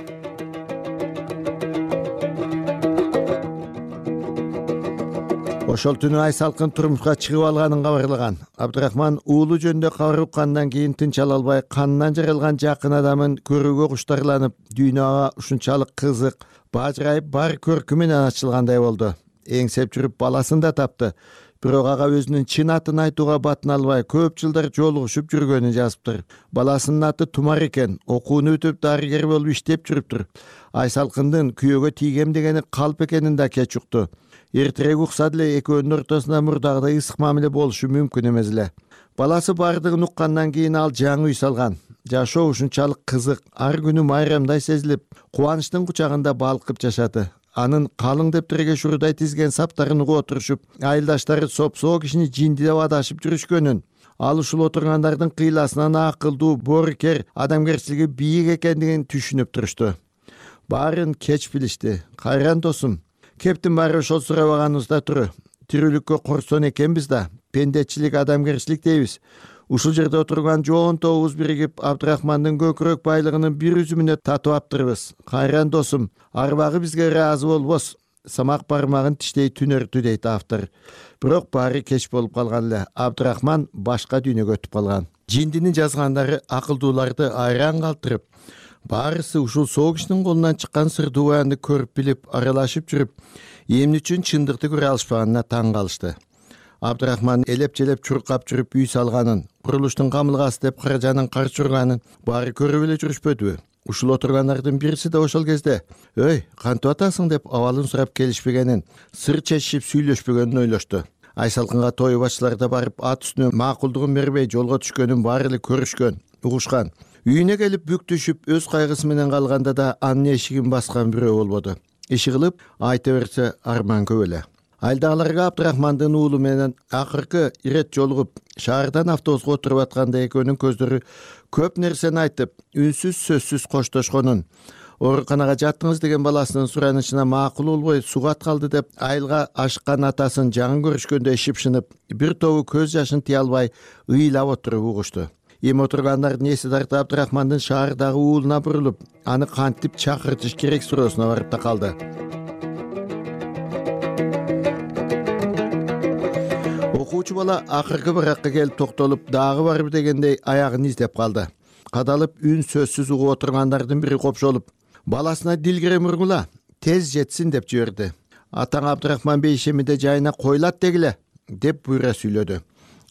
Ошол түнү ай салкын турмушка чыгып алганын кабарлаган. Абдрахман уулу жөнүндө кабар уккандан кийин тынч ала албай, канынан жаралган жакын адамын көрүүгө куштарланып, дүйнөгө ушунчалык кызык, бажырайып, бар көркү менен ачылгандай болду. Эңсеп жүрүп баласын да тапты. Бирок ага өзүнүн чын атын айтууга батын албай, көп жылдар жолугушуп жүргөнүн жазыптыр. Баласынын аты Тумар экен, окууну бүтүп дарыгер болуп иштеп жүрүптүр. Ай салкындын күйөөгө тийгем дегени калп экенин да кеч укту. Эртерээк укса деле экөөнүн ортосунда мурдагыдай ысык мамиле болушу мүмкүн эмес эле. Баласы бардыгын уккандан кийин ал жаңы үй салган. Жашоо ушунчалык кызык, ар күнү майрамдай сезилип, кубанычтын кучагында балкып жашады. Анын калың дептирге шурудай тизген саптарын угуп отурушуп, айылдаштары сопсоо кишини жинди деп адашып жүрүшкөнүн, ал ушул отургандардын кыйласынан акылдуу, боорукер, адамгерчилиги бийик экендигин түшүнүп турушту. Баарын кеч билишти. Кайран досум, кептин баары ошол сурабаганыбызда туру. Тирүүлүккө корсон экенбиз да, пендечилик, адамгерчилик дейбиз. Ушул жерде отурган жоон тобубуз биригип, Абдрахмандын көкүрөк байлыгынын бир үзүмүнө татып аптырбыз. Кайран досум, арбагы бизге ыраазы болбос. Самак бармагын тиштей түнөртү, дейт автор. Бирок баары кеч болуп калган эле. Абдрахман башка дүйнөгө өтүп калган. Жиндинин жазгандары акылдууларды айран калтырып, баарысы ушул соо кишинин колунан чыккан сырдуу баянды көрүп билип, аралашып жүрүп, эмне үчүн чындыкты көрө алышпаганына таң калышты. Абдрахман элеп-желеп чуркап жүрүп үй салганын, курулуштун камылгасы деп каражанын карчурганын баары көрүп эле жүрүшпөдүбү? Ушул отургандардын бириси да ошол кезде «Өй, кантип атасың?» деп абалын сурап келишпегенин, сыр чечишип сүйлөшпөгөнүн ойлошту. Айсалкынга той башчылары да барып ат үстүнө макулдугун бербей жолго түшкөнүн баары эле көрүшкөн, угушкан. Үйүнө келип бүк түшүп өз кайгысы менен калганда да анын эшигин баскан бирөө болбоду. Иши кылып айта берсе арман көп эле. Айылдагыларга Абдрахмандын уулу менен акыркы ирет жолугуп, шаардан автобуска отуруп атканда экөөнүн көздөрү көп нерсени айтып, үнсүз сөзсүз коштошконун, ооруканага жаттыңыз деген баласынын суранычына макул болбой сугат калды деп айылга ашыккан атасын жаңы көрүшкөндө шыпшынып, бир тобу көз жашын тыя албай ыйлап отуруп угушту. Эми отургандардын эси тарта Абдрахмандын шаардагы уулуна бурулуп, аны кантип чакыртыш керек суроосуна барып такалды. Окуучу бала акыркы баракка келип токтолуп, дагы барбы дегендей аягын издеп калды. Кадалып үн сөзсүз угуп отургандардын бири копшолуп, баласына дилгире мургула, тез жетсин деп жиберди. Атаң Абдрахман бей ишемиде жайына койлат дегиле деп буйра сүйлөдү.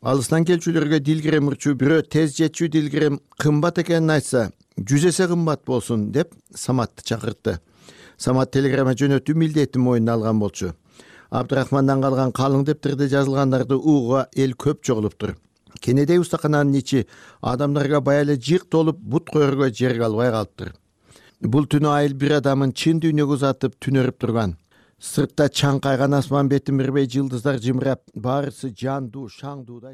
Алыстан келчүлөргө дилгире мурчу бирөө тез жетчү дилгирем кымбат экенин айтса, 100 эсе кымбат болсун деп Саматты чакыртты. Самат телеграмма жөнөтүү милдетин мойнуна алган болчу. Абдрахмандан калган калың дептирде жазылгандарды угууга эл көп чогулуптур. Кенедей устакананын ичи адамдарга бая эле жык толуп, бут коерго жер калбай калыптыр. Бул түнү айыл бир адамын чын дүйнөгө узатып түнөрүп турган. Сыртта чаңкайган асман бетин бербей жылдыздар жымырап, баарысы жандуу, шаңдуудай.